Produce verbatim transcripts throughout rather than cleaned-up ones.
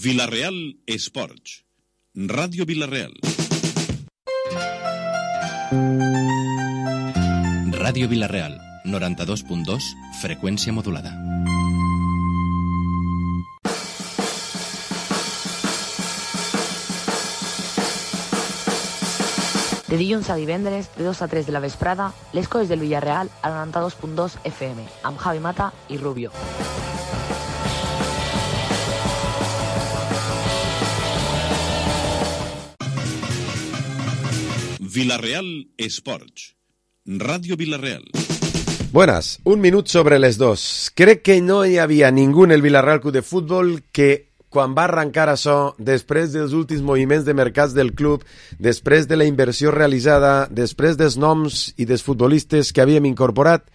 Vila-real Esports. Ràdio Vila-real. Ràdio Vila-real, noranta-dos punt dos, freqüència modulada. De dilluns a divendres, de dos a tres de la vesprada, les coses del Villarreal a noranta-dos punt dos F M, amb Javi Mata i Rubio. Vila-real Esports. Ràdio Vila-real. Buenas, un minut sobre les dos. Crec que no hi havia ningú en el Villarreal Club de Futbol que, quan va arrencar això, després dels últims moviments de mercats del club, després de la inversió realitzada, després dels noms i dels futbolistes que havíem incorporat,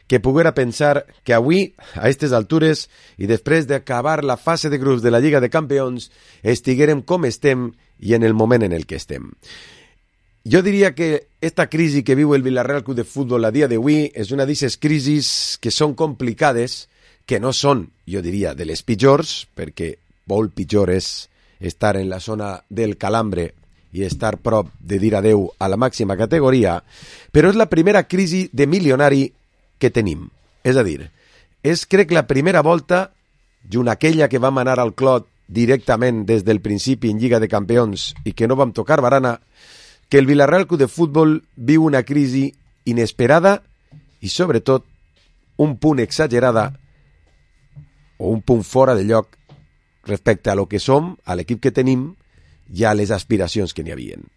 que poguera pensar que avui, a aquestes altures, i després d'acabar la fase de grups de la Lliga de Campions, estiguérem com estem i en el moment en el que estem. Jo diria que esta crisi que viu el Villarreal Club de Futbol a dia d'avui és una d'aquestes crisis que són complicades, que no són, jo diria, de les pitjors, perquè molt pitjor és estar en la zona del calambre i estar prop de dir adeu a la màxima categoria, però és la primera crisi de milionari que tenim. És a dir, és crec la primera volta, junt aquella que vam anar al Clot directament des del principi en Lliga de Campions i que no vam tocar barana, que el Villarreal Club de Futbol viu una crisi inesperada i, sobretot, un punt exagerada o un punt fora de lloc respecte a lo que som, a l'equip que tenim i a les aspiracions que n'hi havien.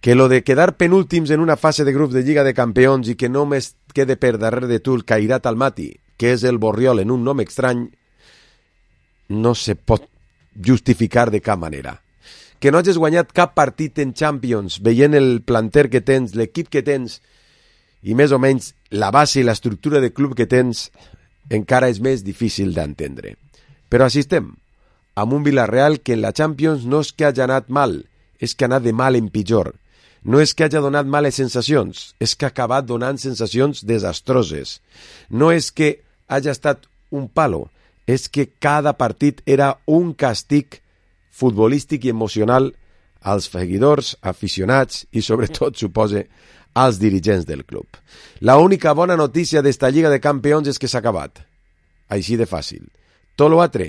Que lo de quedar penúltims en una fase de grups de Lliga de Campions i que només quede per darrere de tu el Cairat Almaty, que és el Borriol en un nom estrany, no se pot justificar de cap manera. Que no hagis guanyat cap partit en Champions, veient el planter que tens, l'equip que tens, i més o menys la base i l'estructura de club que tens, encara és més difícil d'entendre. Però així estem, amb un Villarreal que en la Champions no és que hagi anat mal, és que ha anat de mal en pitjor. No és que hagi donat males sensacions, és que ha acabat donant sensacions desastroses. No és que hagi estat un palo, és que cada partit era un càstig futbolístic i emocional als seguidors, aficionats i, sobretot, supose, als dirigents del club. La única bona notícia d'esta Lliga de Campions és que s'ha acabat. Així de fàcil. Tot l'altre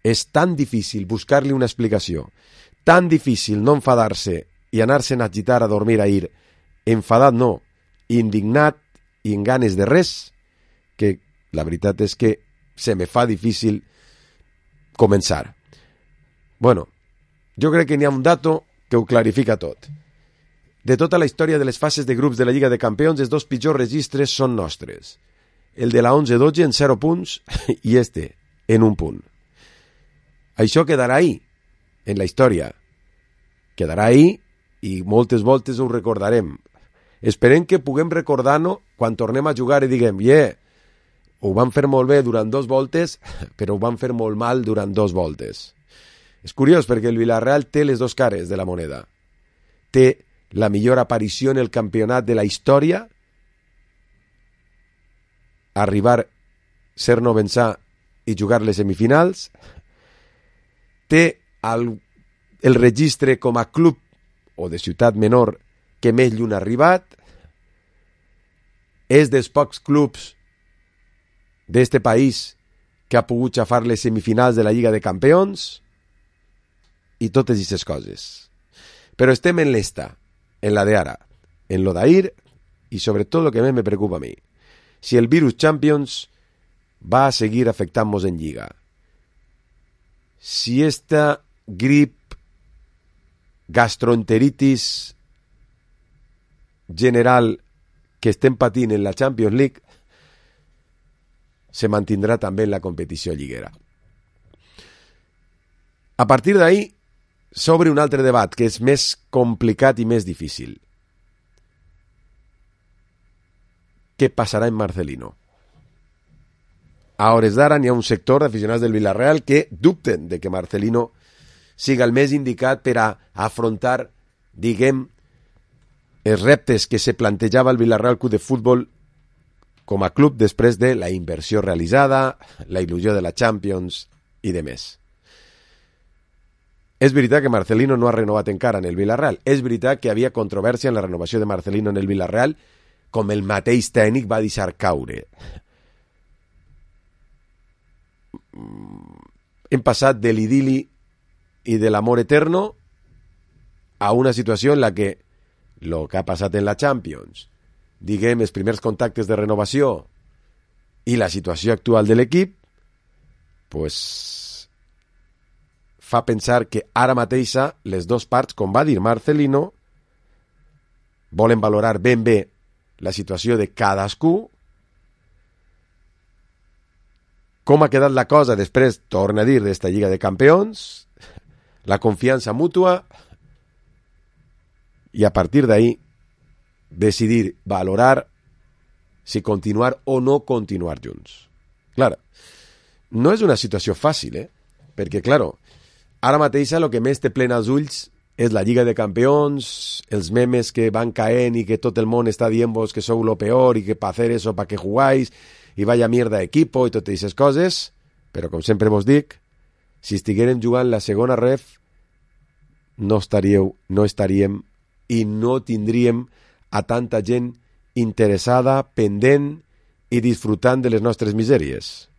és tan difícil buscar-li una explicació, tan difícil no enfadar-se i anar-se'n a agitar a dormir ahir, enfadat no, indignat i en ganes de res, que la veritat és que se me fa difícil començar. Bueno, jo crec que n'hi ha un dato que ho clarifica tot. De tota la història de les fases de grups de la Lliga de Campions, els dos pitjors registres són nostres. El de la onze dotze en zero punts i este en un punt. Això quedarà ahí, en la història. Quedarà ahí i moltes voltes ho recordarem. Esperem que puguem recordar-nos quan tornem a jugar i diguem, yeah, ho van fer molt bé durant dos voltes, però ho van fer molt mal durant dos voltes. És curiós perquè el Villarreal té les dues cares de la moneda. Té la millor aparició en el campionat de la història, arribar, ser no vençar i jugar les semifinals. Té el, el registre com a club o de ciutat menor que més lluny ha arribat. És dels pocs clubs d'este país que ha pogut xafar les semifinals de la Lliga de Campions i totes aquestes coses. Però estem en l'esta, en la de ara, en lo d'ahir i sobretot el que més me preocupa a mi. Si el virus Champions va a seguir afectant-nos en Lliga. Si esta grip, gastroenteritis general que estem patint en la Champions League se mantindrà també en la competició lliguera. A partir d'ahí s'obre un altre debat que és més complicat i més difícil. Què passarà amb Marcelino? A hores d'ara n'hi ha un sector d'aficionats del Villarreal que dubten de que Marcelino siga el més indicat per a afrontar, diguem, els reptes que se plantejava el Villarreal Club de Futbol com a club després de la inversió realitzada, la il·lusió de la Champions i de més. És veritat que Marcelino no ha renovat encara en el Villarreal. És veritat que havia controvèrsia en la renovació de Marcelino en el Villarreal, com el mateix tècnic va deixar caure. Hem passat de l'idili i de l'amor eterno a una situació en la que el que ha passat en la Champions, diguem, els primers contactes de renovació i la situació actual de l'equip, pues, fa pensar que ara mateixa les dues parts, com va dir Marcelino, volen valorar ben bé la situació de cadascú, com ha quedat la cosa després, torna a dir, d'esta Lliga de Campions, la confiança mútua, i a partir d'ahí decidir, valorar si continuar o no continuar junts. Clar, no és una situació fàcil, eh? Perquè, clar, ara mateix el que més té plena els ulls és la Lliga de Campions, els memes que van caent i que tot el món està dient-vos que sou lo peor i que pa hacer eso, pa que jugáis, i vaya mierda equipo i totes aquestes coses, però com sempre vos dic, si estiguérem jugant la segona ref, no estaríeu, no estaríem i no tindríem a tanta gent interessada, pendent i disfrutant de les nostres misèries.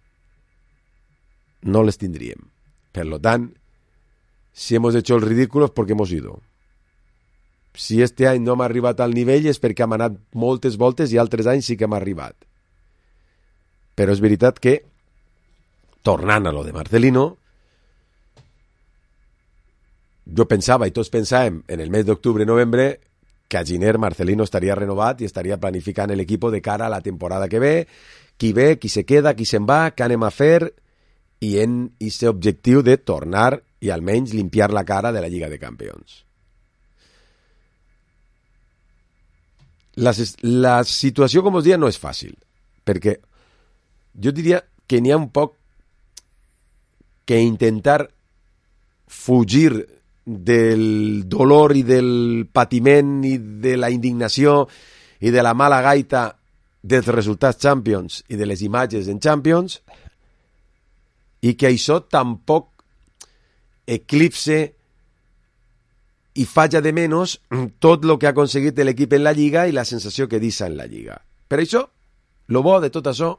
No les tindríem. Per lo tant, si hemos hecho el ridículo es porque hemos ido. Si este any no hem arribat al nivell és perquè hem anat moltes voltes i altres anys sí que hem arribat. Però és veritat que, tornant a lo de Marcelino, jo pensava, i tots pensàvem, en el mes d'octubre-novembre, que a Giner Marcelino estaria renovat i estaria planificant l'equip de cara a la temporada que ve, qui ve, qui se queda, qui se'n va, què anem a fer, i en aquest objectiu de tornar i almenys limpiar la cara de la Lliga de Campions. La, la situació, com us deia, no és fàcil, perquè jo diria que n'hi ha un poc que intentar fugir del dolor i del patiment i de la indignació i de la mala gaita dels resultats Champions i de les imatges en Champions, i que això tampoc eclipse i falla de menys tot el que ha aconseguit l'equip en la Lliga i la sensació que deixa en la Lliga. Per això, el bo de tot això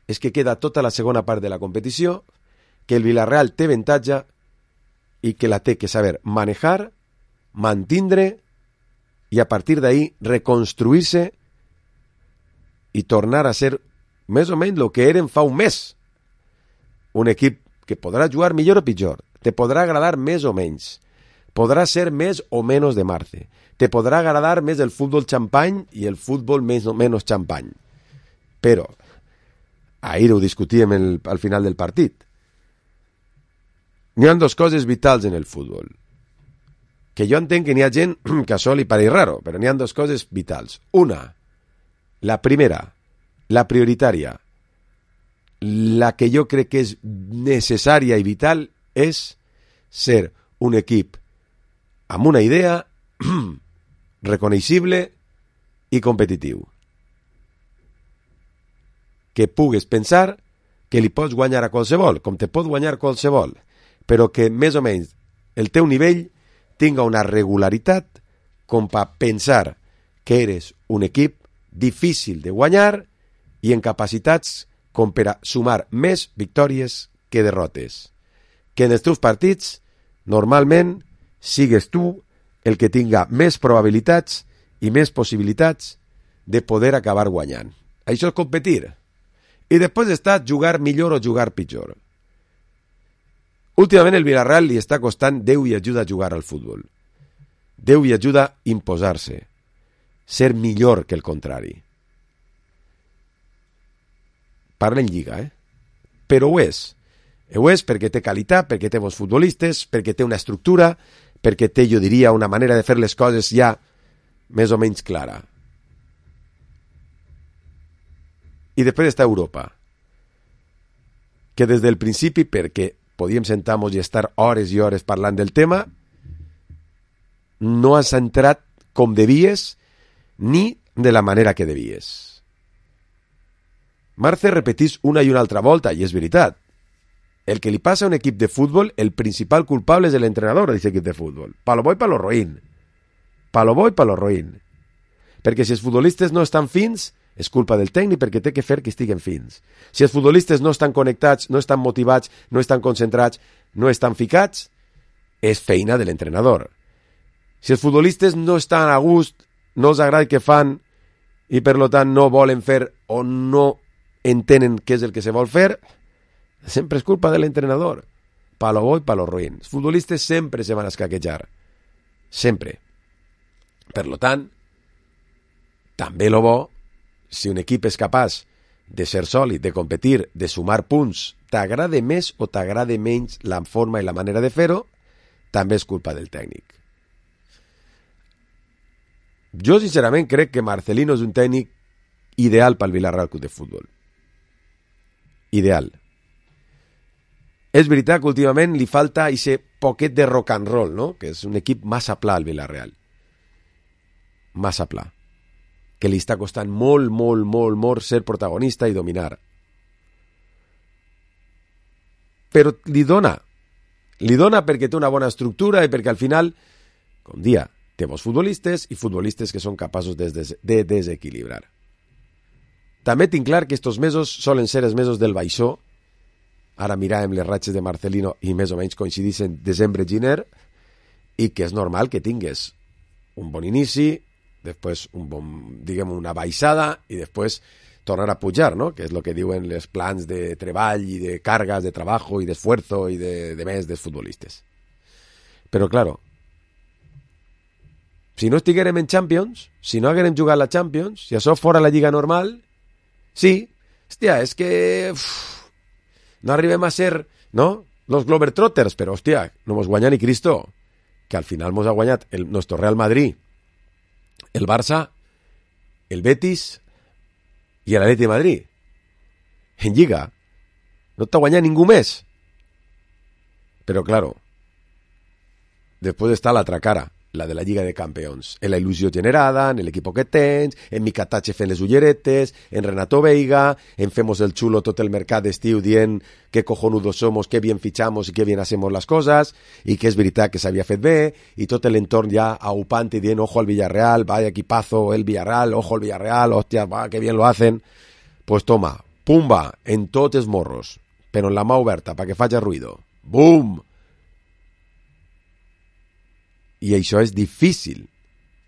és que queda tota la segona part de la competició, que el Villarreal té avantatge i que la té que saber manejar, mantindre i a partir d'ahí reconstruir-se i tornar a ser més o menys el que eren fa un mes. Un equip que podrà jugar millor o pitjor, te podrà agradar més o menys, podrà ser més o menys de Marce, te podrà agradar més el futbol xampany i el futbol més o menys xampany. Però, ahir ho discutíem el, al final del partit, n'hi ha dues coses vitals en el futbol, que jo entenc que n'hi ha gent que això li pareix raro, però n'hi ha dues coses vitals. Una, la primera, la prioritària, la que jo crec que és necessària i vital és ser un equip amb una idea reconeixible i competitiu. Que pugues pensar que li pots guanyar a qualsevol, com te pot guanyar qualsevol, però que més o menys el teu nivell tinga una regularitat com per pensar que eres un equip difícil de guanyar i en capacitats com per a sumar més victòries que derrotes. Que en els teus partits, normalment, sigues tu el que tinga més probabilitats i més possibilitats de poder acabar guanyant. Això és competir. I després està jugar millor o jugar pitjor. Últimament el Villarreal li està costant Déu i ajuda a jugar al futbol. Déu i ajuda a imposar-se. Ser millor que el contrari. Parla en Lliga, eh? Però ho és. Ho és perquè té qualitat, perquè té bons futbolistes, perquè té una estructura, perquè té, jo diria, una manera de fer les coses ja més o menys clara. I després està Europa, que des del principi, perquè podíem sentar-nos i estar hores i hores parlant del tema, no has entrat com devies ni de la manera que devies. Marce repetís una i una altra volta, i és veritat, el que li passa a un equip de futbol, el principal culpable és l'entrenador d'aquest equip de futbol. Pa lo bo i pa lo roïn. Pa lo bo i pa lo roïn. Perquè si els futbolistes no estan fins, és culpa del tècnic perquè té que fer que estiguen fins. Si els futbolistes no estan connectats, no estan motivats, no estan concentrats, no estan ficats, és feina de l'entrenador. Si els futbolistes no estan a gust, no els agrada el que fan i per tant no volen fer o no entenen què és el que se vol fer, sempre és culpa de l'entrenador. Pa lo bo i pa lo roïn. Els futbolistes sempre se van a escaquejar. Sempre. Per tant, també lo bo, si un equip és capaç de ser sòlid, de competir, de sumar punts, t'agrade més o t'agrade menys la forma i la manera de fer-ho, també és culpa del tècnic. Jo, sincerament, crec que Marcelino és un tècnic ideal pel Villarreal Club de Futbol. Ideal. És veritat que últimament li falta ese poquet de rock and roll, no? Que és un equip massa pla al Villarreal. Massa pla. Que li està costant molt, molt, molt, molt ser protagonista i dominar. Però li dona. Li dona perquè té una bona estructura i perquè al final, com dia, té bons futbolistes i futbolistes que són capaços de, des de desequilibrar. També tinc clar que estos mesos solen ser els mesos del baixó. Ara miràvem les ratxes de Marcelino i més o menys coincideixen desembre-gener i que és normal que tingues un bon inici, després un bon, diguem, una baixada i després tornar a pujar, no? Que és el que diuen els plans de treball i de cargas de treball i d'esfuerzo i de, de més dels futbolistes. Però, claro, si no estiguérem en Champions, si no haguérem jugat la Champions, si això fora la Lliga normal, sí, hòstia, és que uf, no arribem a ser, no?, los Globetrotters, però, hòstia, no mos guanya ni Cristo, que al final mos ha guanyat el nostre Real Madrid, el Barça, el Betis i l'Atleti de Madrid. En Lliga no t'ha guanyat ningú més. Però, claro, després està l'altra cara, la de la Lliga de Campeons, en la il·lusió generada, en l'equip que tens, en Mika Tache fent les ulleretes, en Renato Veiga, en femos el xulo tot el mercat d'estiu dient que cojonudos somos, que bien fichamos i que bien hacemos las cosas, i que és veritat que s'havia fet bé, i tot l'entorn ja aupant i dient ojo al Villarreal, vaya equipazo el Villarreal, ojo al Villarreal, hostia, va, que bien lo hacen. Pues toma, pumba, en tots els morros, però en la mà oberta, para que faci ruido. Bum! I això és difícil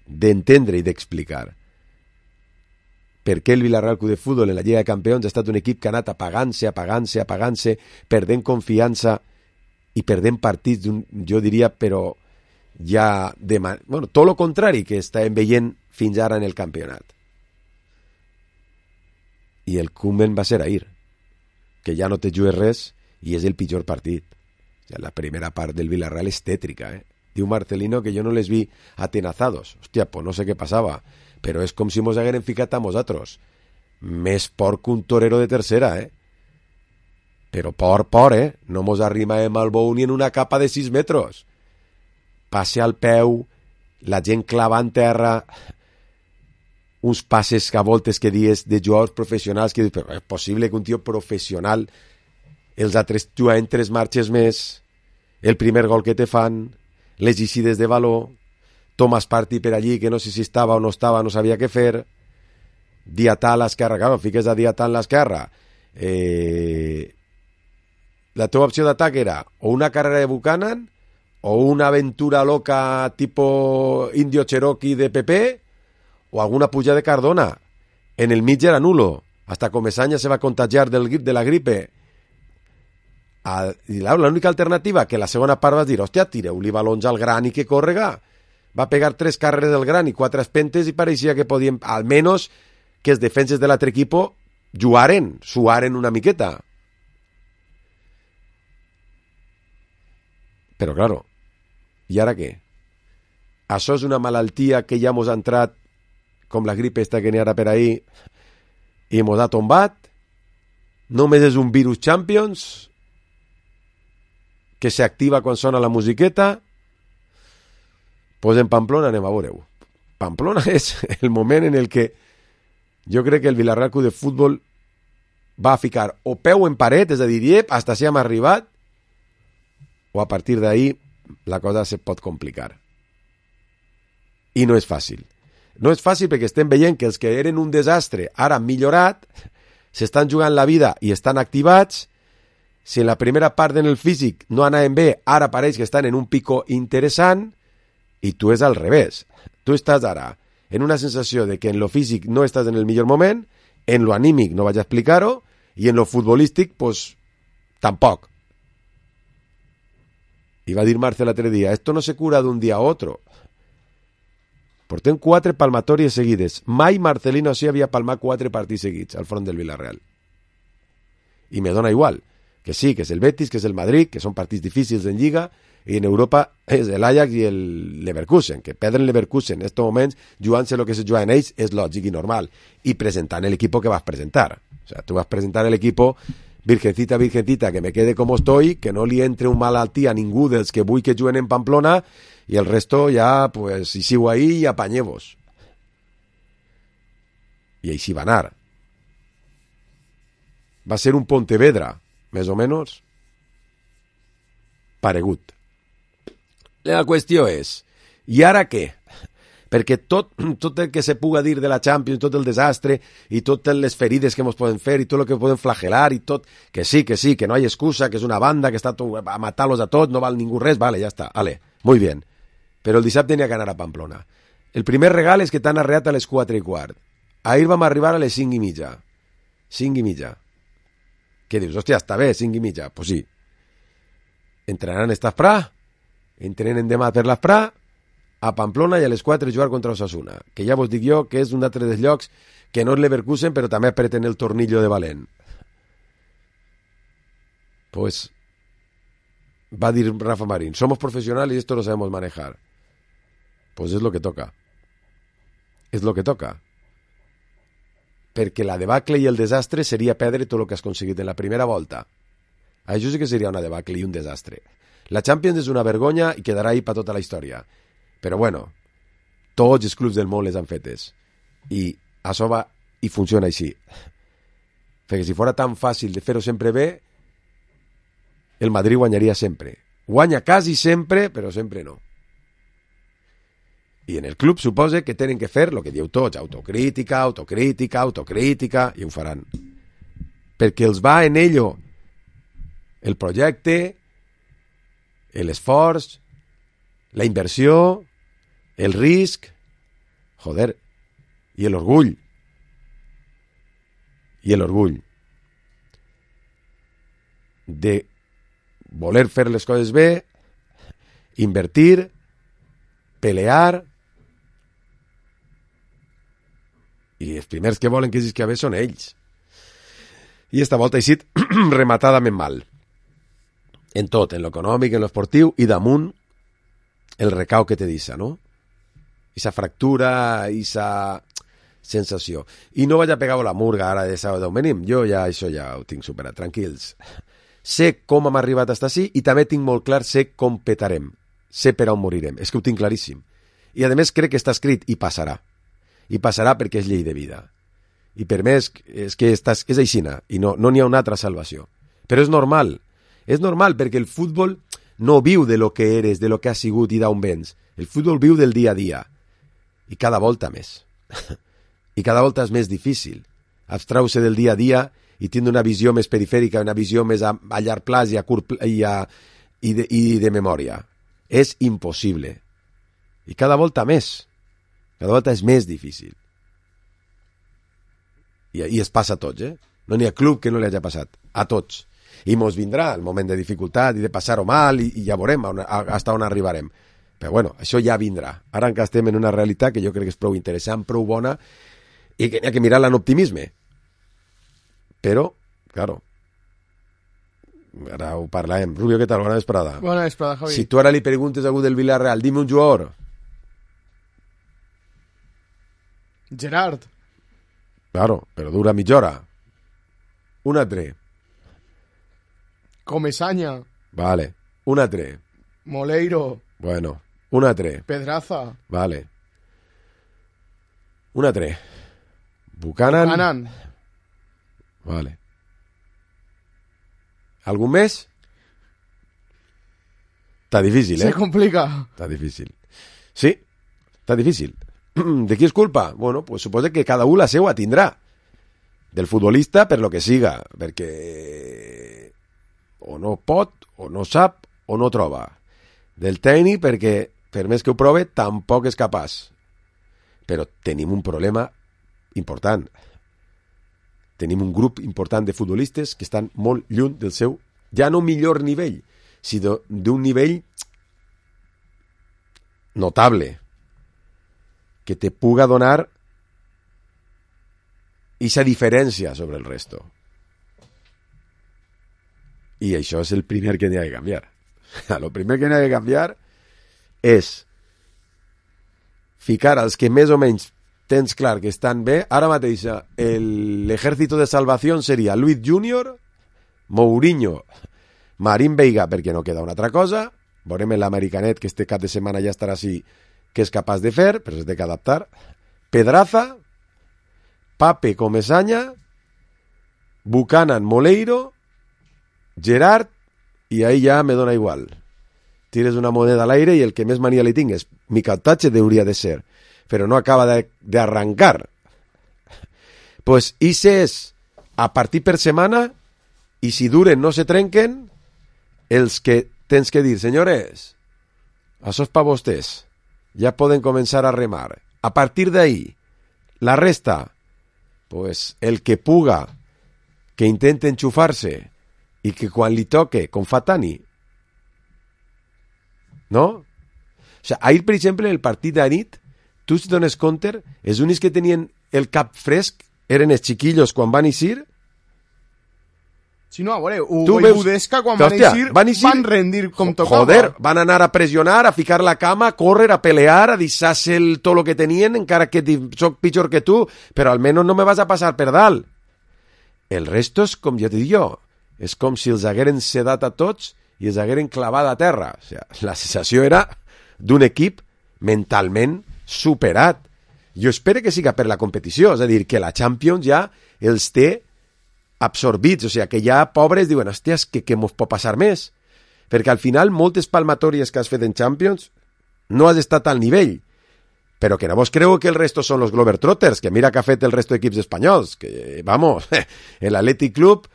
d'entendre i d'explicar. Per què el Villarreal Club de Futbol en la Lliga de Campions ha estat un equip que ha anat apagant-se, apagant-se, apagant-se, perdent confiança i perdent partits, jo diria, però ja de man... bueno, tot el contrari que estàvem veient fins ara en el campionat. I el Koeman va ser ahir, que ja no te jugues res i és el pitjor partit. Ja la primera part del Villarreal és tètrica, eh? Diu Marcelino que jo no les vi atenazados. Hòstia, pues no sé què passava, però és com si mos hagueren ficat a nosaltres. Més por que un torero de tercera, eh? Però por, por, eh? No mos arrimàvem al bou ni en una capa de sis metres. Passe al peu, la gent clava en terra, uns passes que a voltes que dies de jugadors professionals que dius, però és possible que un tio professional els altres juguen tres marxes més, el primer gol que te fan, les eixides de valor, Thomas Partey per allí, que no sé si estava o no estava, no sabia què fer, Diatà a l'esquerra, claro, fiques a Diatà a l'esquerra, eh... la teva opció d'atac era o una carrera de Buchanan, o una aventura loca tipo Indio Cherokee de Pepe, o alguna puja de Cardona. En el mig era nulo, hasta Comesaña se va contagiar del, de la gripe. A, i l'única alternativa que la segona part vas dir, hòstia, tireu-li balons al gran i que córrega. Va pegar tres carreres del gran i quatre espentes i pareixia que podien, almenys que els defenses de l'altre equip jugaren, suaren una miqueta. Però, claro, i ara què? Això és una malaltia que ja mos ha entrat, com la gripe esta que n'hi ara per ahí, i mos ha tombat? Només és un virus Champions que s'activa quan sona la musiqueta? Pues en Pamplona anem a veure-ho. Pamplona és el moment en el que jo crec que el Villarreal Club de Futbol va a ficar o peu en paret, és a dir, iep, hasta si hem arribat, o a partir d'ahí la cosa se pot complicar. I no és fàcil. No és fàcil perquè estem veient que els que eren un desastre ara han millorat, s'estan jugant la vida i estan activats. Si en la primera part en el físic no anaven bé, ara pareix que estan en un pico interessant, i tu és al revés. Tu estàs ara en una sensació de que en lo físic no estàs en el millor moment, en lo anímic no vaig a explicar-ho, i en lo futbolístic, pues, tampoc. I va dir Marce l'altre dia, esto no se cura d'un dia a otro. Portem quatre palmatòries seguides. Mai Marcelino sí havia palmat quatre partits seguits al front del Villarreal. I me dona igual. Que sí, que és el Betis, que és el Madrid, que són partits difícils en Lliga, i en Europa és l'Ajax i el Leverkusen, que perdre el Leverkusen en aquests moments, jugant-se el que se juga en ells, és lògic i normal. I presentant l'equip que vas presentar. O sea, tu vas presentar l'equip virgencita, virgencita, que me quede como estoy, que no li entre un malaltí a ningú dels que vull que juguen en Pamplona, i el resto ja, pues, si sigo ahí, ja apanyeu-vos. I així va anar. Va ser un Pontevedra, més o menys, paregut. La qüestió és, i ara què? Perquè tot, tot el que se puga dir de la Champions, tot el desastre, i totes les ferides que ens poden fer, i tot el que poden flagelar, i tot, que sí, que sí, que no hi ha excusa, que és una banda que està a matar-los a tots, no val ningú res, vale, ja està, vale, muy bien. Però el dissabte n'hi ha que anar a Pamplona. El primer regal és que t'han arreat a les quatre i quart. Ahir vam arribar a les cinc i mitja. cinc i mitja. Què dius? Hòstia, està bé, cinc i mitja. Pues sí. Entrenaran esta Fra, entrenen demà per la Fra, a Pamplona, i a les quatre jugar contra Osasuna, que ja vos dic jo que és un altre dels llocs que no és Leverkusen, però també apreten el tornillo de valent. Pues va dir Rafa Marín, somos profesionales y esto lo sabemos manejar. Pues es lo que toca. Es lo que toca. Perquè la debacle i el desastre seria perdre tot el que has aconseguit en la primera volta. Això sí que seria una debacle i un desastre. La Champions és una vergonya i quedarà ahí per tota la història. Però bueno, tots els clubs del món les han fetes. I això va i funciona així. Perquè si fora tan fàcil de fer-ho sempre bé, el Madrid guanyaria sempre. Guanya quasi sempre, però sempre no. I en el club suposa que tenen que fer el que dieu tots, autocrítica, autocrítica, autocrítica, i ho faran. Perquè els va en ello el projecte, l'esforç, la inversió, el risc, joder, i l'orgull. I l'orgull de voler fer les coses bé, invertir, pelear, i els primers que volen que sisqui bé són ells. I esta volta ha sigut rematadament mal. En tot, en l'econòmic, en l'esportiu, i damunt el recau que te deixa, no? Esa fractura, esa sensació. I no vaig a pegar la murga ara de sábado venim. Jo ja això ja ho tinc superat, tranquils. Sé com hem arribat fins ací i també tinc molt clar, sé com petarem. Sé per on morirem. És que ho tinc claríssim. I a més crec que està escrit i passarà. I passarà perquè és llei de vida. I per més és que estàs, és aixina i no n'hi no ha una altra salvació. Però és normal. És normal perquè el futbol no viu de lo que eres, de lo que has sigut i d'on vens. El futbol viu del dia a dia. I cada volta més. I cada volta és més difícil abstraure del dia a dia i tindre una visió més perifèrica, una visió més a, a llarg plaç i, a curt, i, a, i, de, i de memòria. És impossible. I cada volta més. Cada volta és més difícil. I, i es passa a tots, eh? No n'hi ha club que no li hagi passat. A tots. I mos vindrà el moment de dificultat i de passar-ho mal i, i ja veurem on, hasta on arribarem. Però bueno, això ja vindrà. Ara encara estem en una realitat que jo crec que és prou interessant, prou bona, i que n'hi ha que mirar-la en optimisme. Però, claro, ara ho parlarem. Rubio, què tal? Bona vesprada. Bona vesprada, Javi. Si tu ara li preguntes a algú del Villarreal, dime un jugador. Gerard. Claro, però dura mitja hora. Un altre. Comesaña. Vale. Un altre. Moleiro. Bueno. Un altre. Pedraza. Vale. Un altre. Buchanan. Buchanan. Vale. Algun més? Està difícil, eh? Se complica. Està difícil. Sí, està difícil. De qui és culpa? Bueno, pues suposa que cada un la seua tindrà. Del futbolista per lo que siga, perquè o no pot, o no sap, o no troba. Del tècnic perquè, per més que ho prove, tampoc és capaç. Però tenim un problema important. Tenim un grup important de futbolistes que estan molt lluny del seu, ja no millor nivell, sinó d'un nivell notable, que te puga donar esa diferència sobre el resto. I això és el primer que n'hi ha de canviar. El primer que n'hi ha de canviar és ficar als que més o menys tens clar que estan bé. Ara mateix l'ejército de salvació seria Luis Junior, Mourinho, Marín Veiga, perquè no queda una altra cosa. Veurem l'americanet, que este cap de setmana ja estarà així, que és capaç de fer, però es té que adaptar. Pedraza, Pape Comesaña, Buchanan, Moleiro, Gerard, i ahí ja me dona igual. Tires una moneda a l'aire i el que més mania li tingues. Micautatge hauria de ser, però no acaba d'arrancar. Pues ese és a partir per setmana, i si duren no se trenquen, els que tens que dir, senyores, això és per vostès, ja poden començar a remar. A partir d'ahí, la resta, pues el que puga, que intente enxufar-se, i que quan li toque, com fa Tani, no? O sigui, ahir, per exemple, el partit d'anit, tu si dones compte, els únics que tenien el cap fresc eren els xiquillos quan van eixir. Si no, a veure, Hugo i Budesca quan van eixir van, van rendir com tocava. Joder, van anar a pressionar, a ficar la cama, a córrer, a pelear, a deixar-se tot el que tenien, encara que soc pitjor que tu, però almenys no me vas a passar per dalt. El resto és com jo t'he dit jo, és com si els hagueren sedat a tots i els hagueren clavat a terra. O sigui, la sensació era d'un equip mentalment superat. Jo espero que siga per la competició, és a dir, que la Champions ja els té absorbits, o sigui, que ja pobres diuen, hòstia, que, que mos pot passar més, perquè al final moltes palmatòries que has fet en Champions no has estat al nivell, però que no vos creu que el resto són los Globetrotters, que mira que ha fet el resto d'equips espanyols, que, vamos, el Athletic Club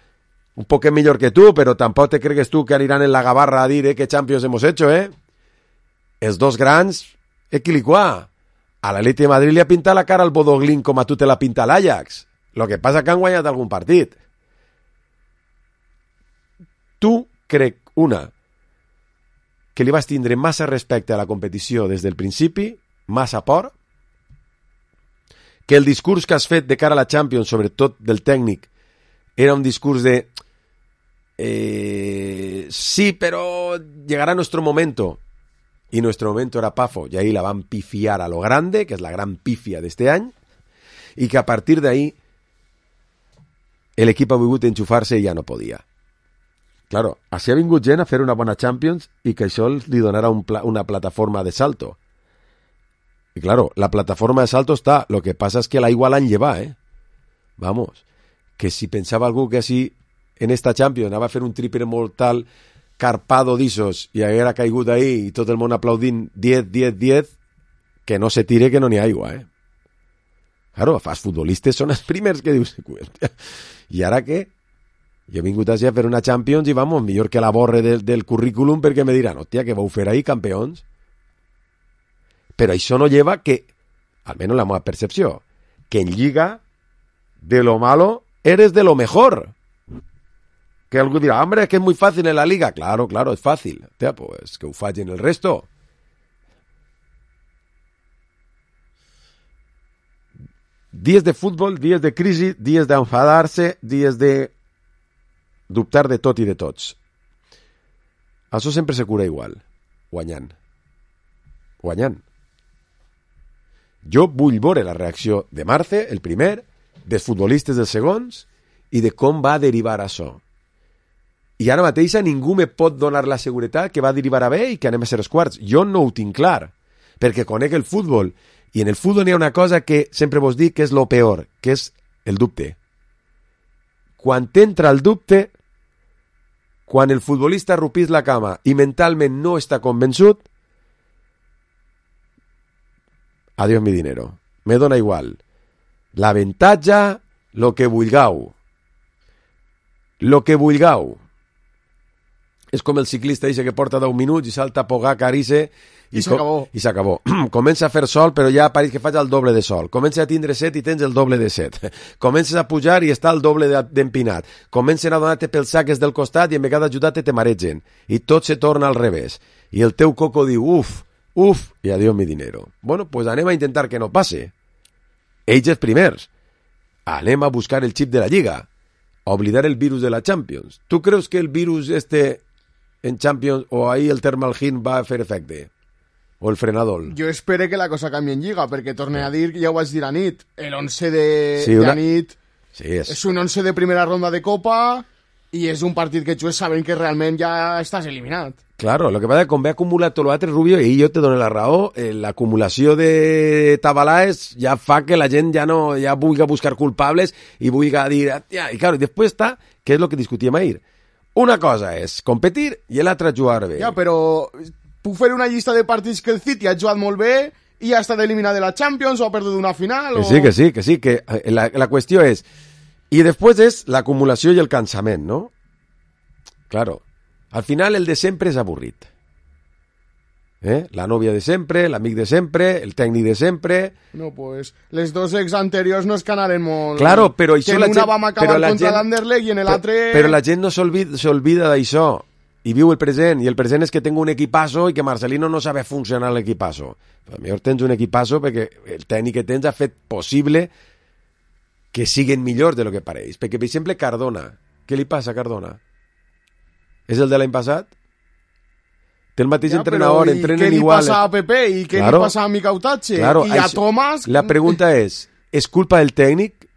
un poco millor que tu, però tampoc te cregues tu que aniran en la gabarra a dir eh, que Champions hemos hecho, eh? Els dos grans, equiliquà. A l'Atleti de Madrid li ha pintat la cara al Bodoglin com a tu te la pinta l'Ajax. Lo que passa que han guanyat algun partit. Tu crec, una, que li vas tindre massa respecte a la competició des del principi, massa por, que el discurs que has fet de cara a la Champions, sobretot del tècnic, era un discurs de eh, sí, pero llegará nuestro momento, y nuestro momento era Pafo, y ahí la van pifiar a lo grande, que es la gran pifia de este año, y que a partir de ahí el equip ha volgut enxufar-se i ja no podia. Claro, així ha vingut gent a fer una bona Champions i que això li donarà un pla, una plataforma de salto. Y claro, la plataforma de salto está, lo que pasa es que l'aigua l'han llevat, eh? Vamos, que si pensava algú que així en esta Champions anava a fer un triple mortal carpado d'issos i haguera caigut ahí i tot el món aplaudint diez, diez, diez, que no se tire que no n'hi ha aigua, eh? Claro, els futbolistes són els primers que dius, i ara què? Jo he vingut així a fer una Champions i vamos, millor que la borre del, del currículum perquè me diran, hòstia, que vau fer ahí campeons. Però això no lleva que, almenys la meva percepció, que en Lliga, de lo malo, eres de lo mejor. Que algú dirà, hombre, es que es muy fácil en la Liga. Claro, claro, es fácil. Hòstia, pues que ho fallen el resto. Dies de futbol, dies de crisi, dies d'enfadar-se, dies de dubtar de tot i de tots. Això sempre se cura igual, guanyant. Guanyant. Jo vull veure la reacció de Marce, el primer, dels futbolistes dels segons, i de com va derivar això. I ara mateix a ningú me pot donar la seguretat que va derivar a bé i que anem a ser els quarts. Jo no ho tinc clar, perquè conec el futbol, i en el futbol hi ha una cosa que sempre vos dic que és lo peor, que és el dubte. Quan t'entra el dubte, quan el futbolista rupís la cama i mentalment no està convençut, adiós mi dinero. Me dona igual. L'avantatge, lo que vulgueu. Lo que vulgueu. És com el ciclista dice que porta deu minuts i salta a Pogacar i I s'acabó. I s'acabó. Comença a fer sol, però ja pareix que faig el doble de sol. Comença a tindre set i tens el doble de set. Comences a pujar i està el doble d'empinat. Comencen a donar-te pels saques del costat i en vegada ajudar-te te maregen. I tot se torna al revés. I el teu coco diu, uf, uf, i adiós mi dinero. Bueno, pues anem a intentar que no passe. Ells els primers. Anem a buscar el xip de la Lliga. A oblidar el virus de la Champions. ¿Tú creus que el virus este en Champions o ahí el Thermalgin va a fer efecte? O el frenador? Jo espero que la cosa canvi en Lliga, perquè torne a dir, ja ho vaig dir a nit, el once de, sí, una... de nit sí, és... és un once de primera ronda de Copa i és un partit que jugues sabent que realment ja estàs eliminat. Claro, lo que pasa es que com ve acumulat tot l'altre, Rubio, i jo te dono la raó, eh, l'acumulació de tabalaes ja fa que la gent ja no ja vulgui buscar culpables i vulgui dir... Ja, i claro, després està, que és el que discutíem ahir. Una cosa és competir i l'altra jugar bé. Ja, però puc fer una llista de partits que el City ha jugat molt bé i ha estat eliminat de la Champions o ha perdut una final. Que o... sí, que sí, que sí, que la, la qüestió és... I després és l'acumulació i el cansament, no? Claro. Al final el de sempre és avorrit. ¿Eh? La nòvia de sempre, l'amic de sempre, el tècnic de sempre... No, pues, les dos ex anteriors no es que anaren molt... Claro, però això que la en una gent... vam acabar contra l'Anderlecht i en l'altre... Però, però la gent no s'olvida d'això i viu el present, i el present és que tengo un equipazo i que Marcelino no sabe funcionar l'equipazo. Però millor tens un equipazo perquè el tècnic que tens ha fet possible que siguin millors de lo que pareix. Perquè, per exemple, Cardona. Què li passa a Cardona? És el de l'any passat? Té el mateix ja, entrenador, però, entrenen igual. Què li igual. passa a Pepe i què claro, li passa a Micautatge? Claro, I a això, Tomàs... La pregunta és, és culpa del tècnic?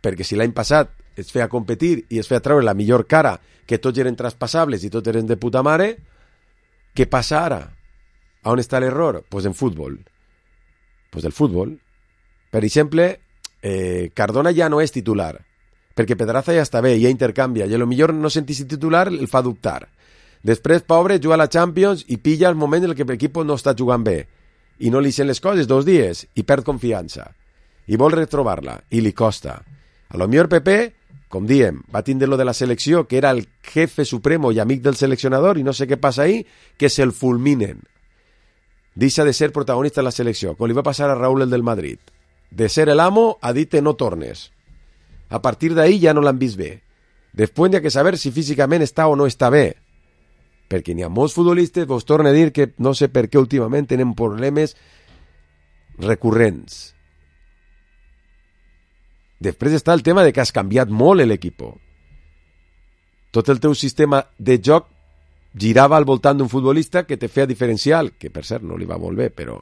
Perquè si l'any passat es feia competir i es feia treure la millor cara, que tots eren traspassables i tots eren de puta mare, què passa ara? A on està l'error? Pues en futbol. Pues el futbol. Per exemple, eh, Cardona ja no és titular, perquè Pedraza ja està bé, ja intercanvia, i a lo millor no sentir-se titular el fa dubtar. Després, pobre, juga a la Champions i pilla el moment en què l'equip no està jugant bé i no li sent les coses dos dies i perd confiança i vol retrobar-la i li costa. A lo millor Pepe, com diem, va tindre lo de la selecció, que era el jefe supremo i amic del seleccionador i no sé què passa ahí, que se'l fulminen. Deixa de ser protagonista de la selecció, com li va passar a Raúl el del Madrid. De ser el amo a dir-te no tornes. A partir d'ahí ja no l'han vist bé. Després hi ha que saber si físicament està o no està bé. Perquè n'hi ha molts futbolistes, vos torno a dir que no sé per què últimament tenen problemes recurrents. Després està el tema de que has canviat molt l'equip. Tot el teu sistema de joc girava al voltant d'un futbolista que te feia diferencial, que per cert no li va molt bé, però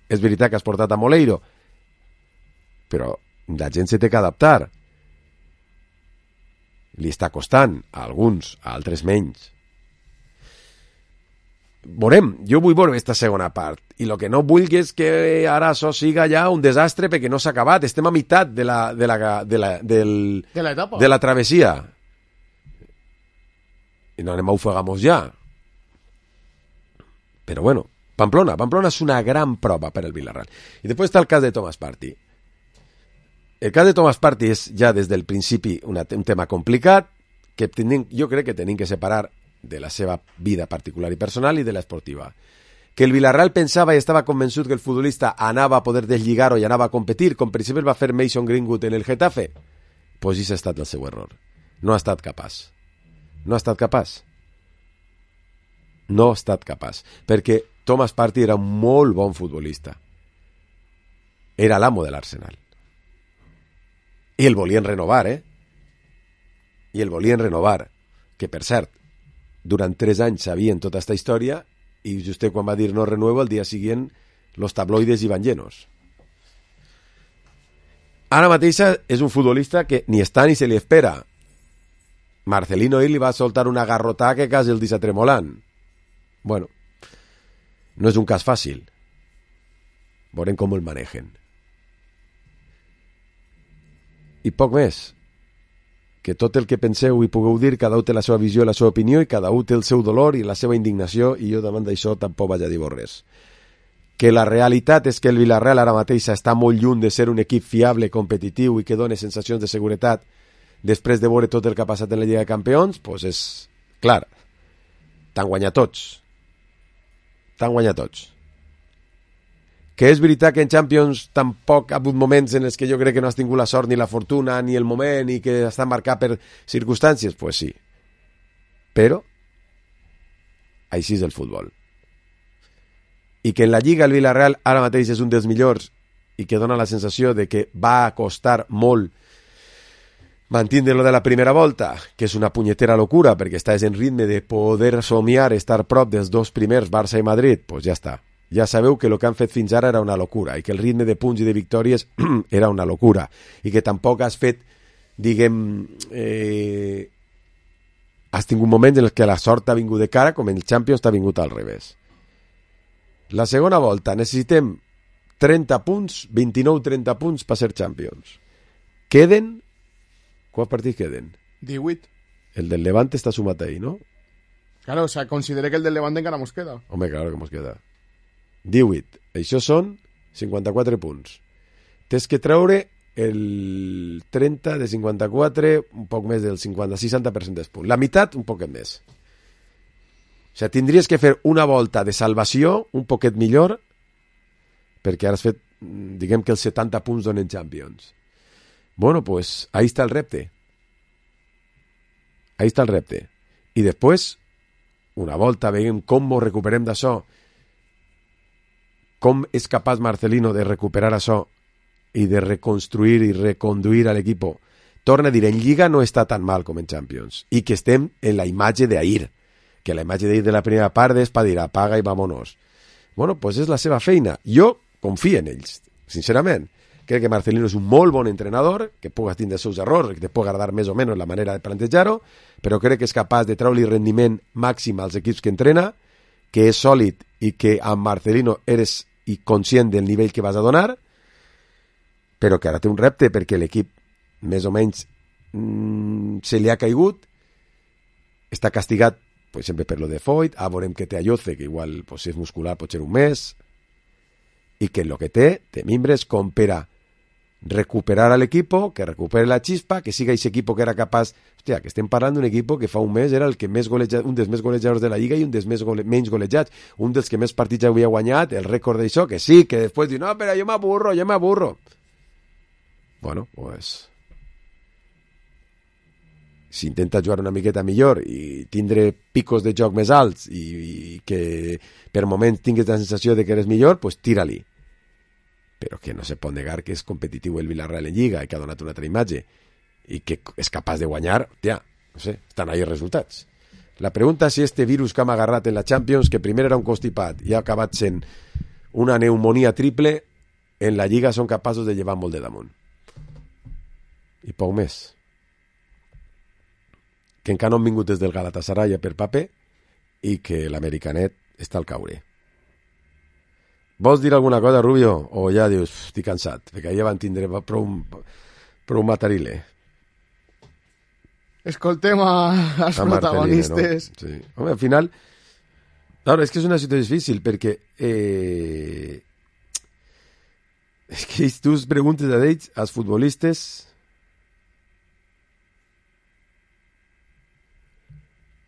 és veritat que has portat a Moleiro, però la gent se té que adaptar. Li està costant a alguns, a altres menys. Veurem, jo vull veure aquesta segona part i el que no vull és que ara això siga ja un desastre perquè no s'ha acabat, estem a meitat de la, de la, de la, del, de la etapa, de la travessia i no anem a ofegamos ja, però bueno, Pamplona Pamplona és una gran prova per al Villarreal. I després està el cas de Thomas Partey. El cas de Thomas Partey és ja des del principi una, un tema complicat que tenim, jo crec que tenim que separar de la seva vida particular i personal i de l'esportiva. Que el Villarreal pensava i estava convençut que el futbolista anava a poder deslligar-ho i anava a competir, com per exemple va fer Mason Greenwood en el Getafe, pues això ha estat el seu error. No ha estat capaç. No ha estat capaç. No ha estat capaç. Perquè Thomas Partey era un molt bon futbolista. Era l'amo de l'Arsenal. I el volien renovar, eh? I el volien renovar. Que, per cert, durant tres anys sabien tota aquesta història i just quan va dir no renuevo, el dia següent los tabloides iban llenos. Ara mateix és un futbolista que ni està ni se li espera. Marcelino ahir li va soltar una garrotà que quasi el deixa tremolant. Bueno, no és un cas fàcil. Veurem com el manegen. I poc més. que tot el que penseu i pugueu dir, cada un té la seva visió i la seva opinió, i cada un té el seu dolor i la seva indignació, i jo davant d'això tampoc vaig a dir res. Que la realitat és que el Villarreal ara mateix està molt lluny de ser un equip fiable, competitiu i que doni sensacions de seguretat després de veure tot el que ha passat en la Lliga de Campions, doncs és clar, t'han guanyat tots. T'han guanyat tots. Que és veritat que en Champions tampoc ha hagut moments en els que jo crec que no has tingut la sort ni la fortuna ni el moment i que està marcat per circumstàncies, doncs pues sí. Però així és el futbol. I que en la Lliga el Villarreal ara mateix és un dels millors i que dona la sensació de que va costar molt mantindre-lo de la primera volta, que és una punyetera locura perquè estàs en ritme de poder somiar estar prop dels dos primers, Barça i Madrid, doncs pues ja està. Ja sabeu que el que han fet fins ara era una locura i que el ritme de punts i de victòries era una locura i que tampoc has fet, diguem, eh, has tingut moments en els que la sort t'ha vingut de cara com en el Champions t'ha vingut al revés. La segona volta necessitem trenta punts, vint-i-nou trenta punts per ser Champions. Queden... Quants partits queden? divuit. El del Levante està sumat ahí, ¿no? Claro, o sea, considere que el del Levante encara mos queda. Home, claro que mos queda. divuit. Això són cinquanta-quatre punts. Tens que treure el trenta de cinquanta-quatre, un poc més del cinquanta, seixanta per cent dels punts. La meitat, un poquet més. O sigui, tindries que fer una volta de salvació un poquet millor perquè ara has fet, diguem que els setanta punts donen Champions. Bueno, pues ahí está el repte. Ahí está el repte. I després, una volta, veiem com ho recuperem d'això, com és capaç Marcelino de recuperar això i de reconstruir i reconduir a l'equip. Torna a dir, en Lliga no està tan mal com en Champions i que estem en la imatge d'ahir, que la imatge d'ahir de la primera part és per dir apaga i vámonos. Bueno, pues és la seva feina. Jo confio en ells, sincerament. Crec que Marcelino és un molt bon entrenador, que pugues tindre els seus errors, que te pugui agradar més o menys la manera de plantejar-ho, però crec que és capaç de treure-li rendiment màxim als equips que entrena, que és sòlid i que amb Marcelino eres i conscient del nivell que vas a donar, però que ara té un repte perquè l'equip més o menys mmm, se li ha caigut, està castigat pues, sempre per lo de Foyt, a veurem que té Ayoce, que igual pues, si és muscular pot ser un mes, i que el que té, té mimbres com per a recuperar a l'equipo, que recupere la chispa, que siga ese equipo que era capaç... Hòstia, que estem parlant d'un equipo que fa un mes era el que més goleja, un dels més golejadors de la Lliga i un dels més gole, menys golejats, un dels que més partits havia guanyat, el rècord d'això, que sí, que després diu, no, però jo m'aburro, jo m'aburro. Bueno, pues... si intenta jugar una miqueta millor i tindre picos de joc més alts i, i que per moments tingues la sensació de que eres millor, pues tira-li. Però que no se pot negar que és competitiu el Villarreal en Lliga i que ha donat una altra imatge i que és capaç de guanyar, tia, no sé, estan ahí els resultats. La pregunta és si este virus que hem agarrat en la Champions, que primer era un constipat i ha acabat sent una pneumonia triple, en la Lliga són capaços de llevar molt de damunt. I poc més. Que encara no han vingut des del Galatasaray per paper i que l'americanet està al caure. Vols dir alguna cosa, Rubio? O ja dius, estic cansat, perquè ja van tindre prou, prou matarile. Escoltem a, als a protagonistes. No? Sí. Home, al final, claro, és que és una situació difícil, perquè eh, és que tu preguntes a ells, als futbolistes,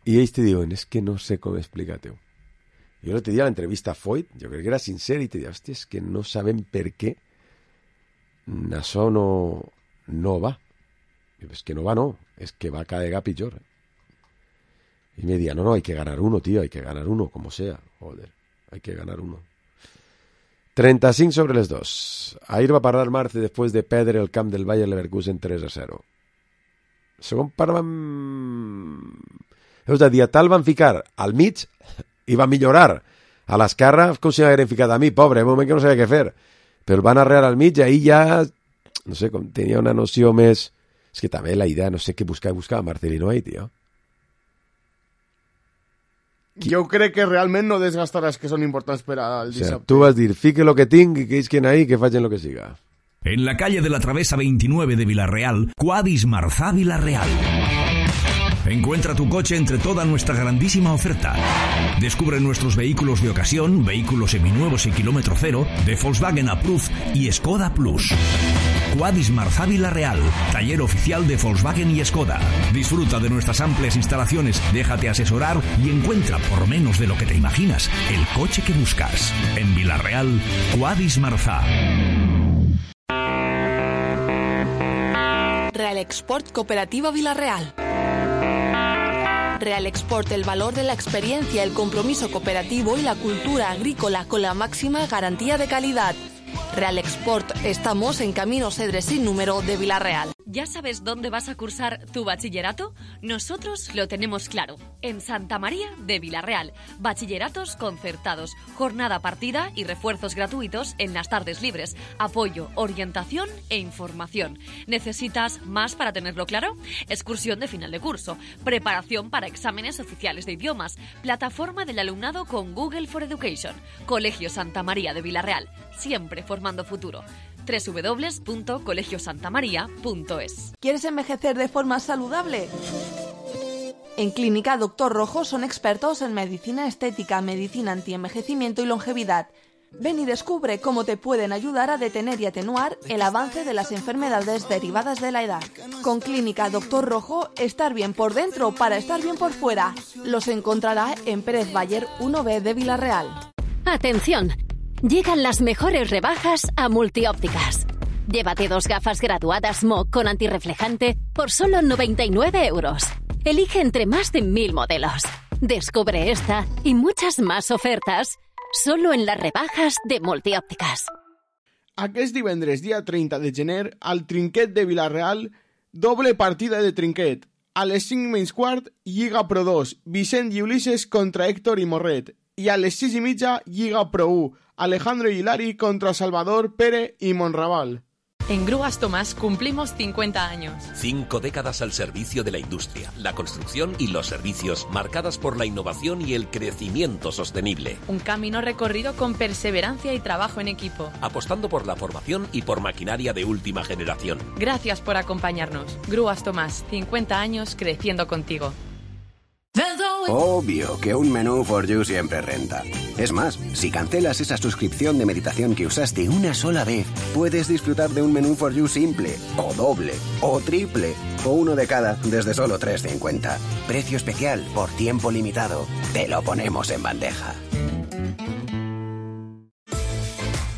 i ells te diuen, és que no sé com explicar-te-ho. Jo l'altre dia a l'entrevista a Foyt, jo crec que era sincer i te diia, hòstia, és que no sabem per què això no, no va. És que no va, no, és que va cada vegada pitjor. Y me decía, no, no, hay que ganar uno, tío, hay que ganar uno, como sea. Joder, hay que ganar uno. trenta y cinco sobre les dos. Ahir va parlar Marce després de perdre el camp del Bayer Leverkusen tres a zero. Segon part van... És a dir, a tal van ficar al mig i va millorar. A l'esquerra, com si m'hagueren ficat a mi, pobre, un moment que no sabia què fer. Però van arrear al mig i ahir ja, no sé, com tenia una noció més... És que també la idea, no sé què buscar, buscar Marcelino ahí, tio. Jo crec que realment no desgastaràs que són importants per al dissabte. O sea, tu vas dir, fique lo que tinc i que isquen ahí, que facin lo que siga. En la calle de la Travesa veintinueve de Villarreal, Quadis Marzá Villarreal. Encuentra tu coche entre toda nuestra grandísima oferta. Descubre nuestros vehículos de ocasión, vehículos seminuevos y kilómetro cero, de Volkswagen Approved y Skoda Plus. Quadis Marzá Vila-real, taller oficial de Volkswagen y Skoda. Disfruta de nuestras amplias instalaciones, déjate asesorar y encuentra, por menos de lo que te imaginas, el coche que buscas. En Vila-real, Quadis Marzá. Real Export Cooperativa Vila-real. Real Export, el valor de la experiencia, el compromiso cooperativo y la cultura agrícola con la máxima garantía de calidad. Real Export, estamos en Camino Cedres sin número de Vila-real. ¿Ya sabes dónde vas a cursar tu bachillerato? Nosotros lo tenemos claro. En Santa María de Vila-real. Bachilleratos concertados, jornada partida y refuerzos gratuitos en las tardes libres. Apoyo, orientación e información. ¿Necesitas más para tenerlo claro? Excursión de final de curso, preparación para exámenes oficiales de idiomas, plataforma del alumnado con Google for Education. Colegio Santa María de Vila-real, siempre formando futuro. doble u doble u doble u punto colegio santa maría punto es. ¿Quieres envejecer de forma saludable? En Clínica Doctor Rojo son expertos en medicina estética, medicina antienvejecimiento y longevidad. Ven y descubre cómo te pueden ayudar a detener y atenuar el avance de las enfermedades derivadas de la edad. Con Clínica Doctor Rojo, estar bien por dentro para estar bien por fuera. Los encontrará en Pérez Bayer uno B de Vila-real. ¡Atención! Llegan las mejores rebajas a Multiópticas. Llévate dos gafas graduadas M O con antirreflejante por solo noventa y nueve euros. Elige entre más de mil modelos. Descubre esta y muchas más ofertas solo en las rebajas de Multiópticas. Aquest divendres, dia trenta de gener, al Trinquet de Vila-real, doble partida de trinquet. A les cinc menys quart, Lliga Pro dos, Vicent i Ulises contra Héctor i Morret. I a les sis i mitja, Lliga Pro u, Alejandro y Hilari contra Salvador, Pere y Monraval. En Grúas Tomás cumplimos cincuenta años. Cinco décadas al servicio de la industria, la construcción y los servicios, marcadas por la innovación y el crecimiento sostenible. Un camino recorrido con perseverancia y trabajo en equipo. Apostando por la formación y por maquinaria de última generación. Gracias por acompañarnos. Grúas Tomás, cincuenta años creciendo contigo. Obvio que un menú for you siempre renta. Es más, si cancelas esa suscripción de meditación que usaste una sola vez, puedes disfrutar de un menú for you simple, o doble, o triple, o uno de cada desde solo tres cincuenta. Precio especial por tiempo limitado. Te lo ponemos en bandeja.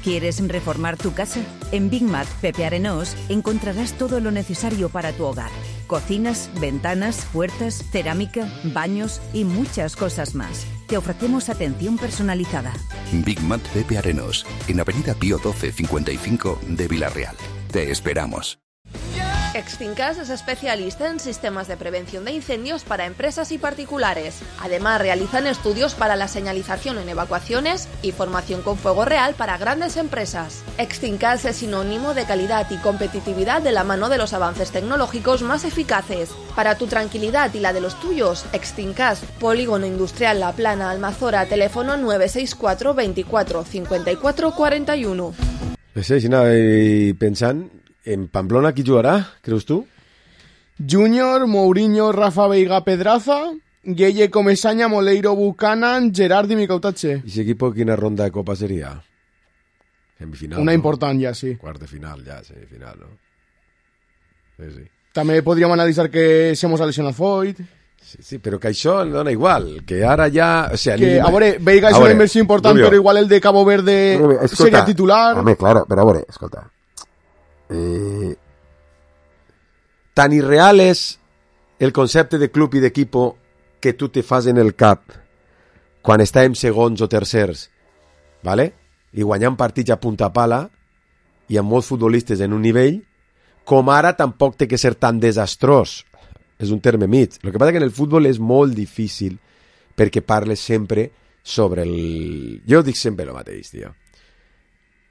¿Quieres reformar tu casa? En Big Mat Pepe Arenós encontrarás todo lo necesario para tu hogar. Cocinas, ventanas, puertas, cerámica, baños y muchas cosas más. Te ofrecemos atención personalizada. Big Mat Pepe Arenós, en Avenida Pío doce cincuenta y cinco de Vila-real. Te esperamos. Extincas es especialista en sistemas de prevención de incendios para empresas y particulares. Además, realizan estudios para la señalización en evacuaciones y formación con fuego real para grandes empresas. Extincas es sinónimo de calidad y competitividad de la mano de los avances tecnológicos más eficaces. Para tu tranquilidad y la de los tuyos, Extincas, Polígono Industrial La Plana, Almazora, teléfono nueve seis cuatro veinticuatro cincuenta y cuatro cuarenta y uno. No sé, si nada, y pensant, en Pamplona qui jugarà, creus tu? Júnior, Mourinho, Rafa Veiga, Pedraza, Gueye, Comesaña, Moleiro, Buchanan, Gerard i Micautache. ¿Y ese equipo quina ronda de Copa sería? Semifinal, Una ¿no? important ja, sí. Quart de final, ja, semifinal, ¿no? Sí, sí. També podríem analitzar que se mos ha lesionat Foyt. Sí, sí, però que això dona igual, que ara ja... O sea, que, ni... a veure, Veiga és una inversió important, Rubio, però igual el de Cabo Verde Rubio, escolta, seria titular. Home, claro, però a veure, escolta. Eh, tan irreal és el concepte de club i d'equipo que tu te fas en el cap quan estàvem segons o tercers, ¿vale? I guanyant partits a punta pala i amb molts futbolistes en un nivell, com ara tampoc té que ser tan desastrós. És un terme mig. El que passa que en el futbol és molt difícil perquè parles sempre sobre el... Jo dic sempre el mateix, tio.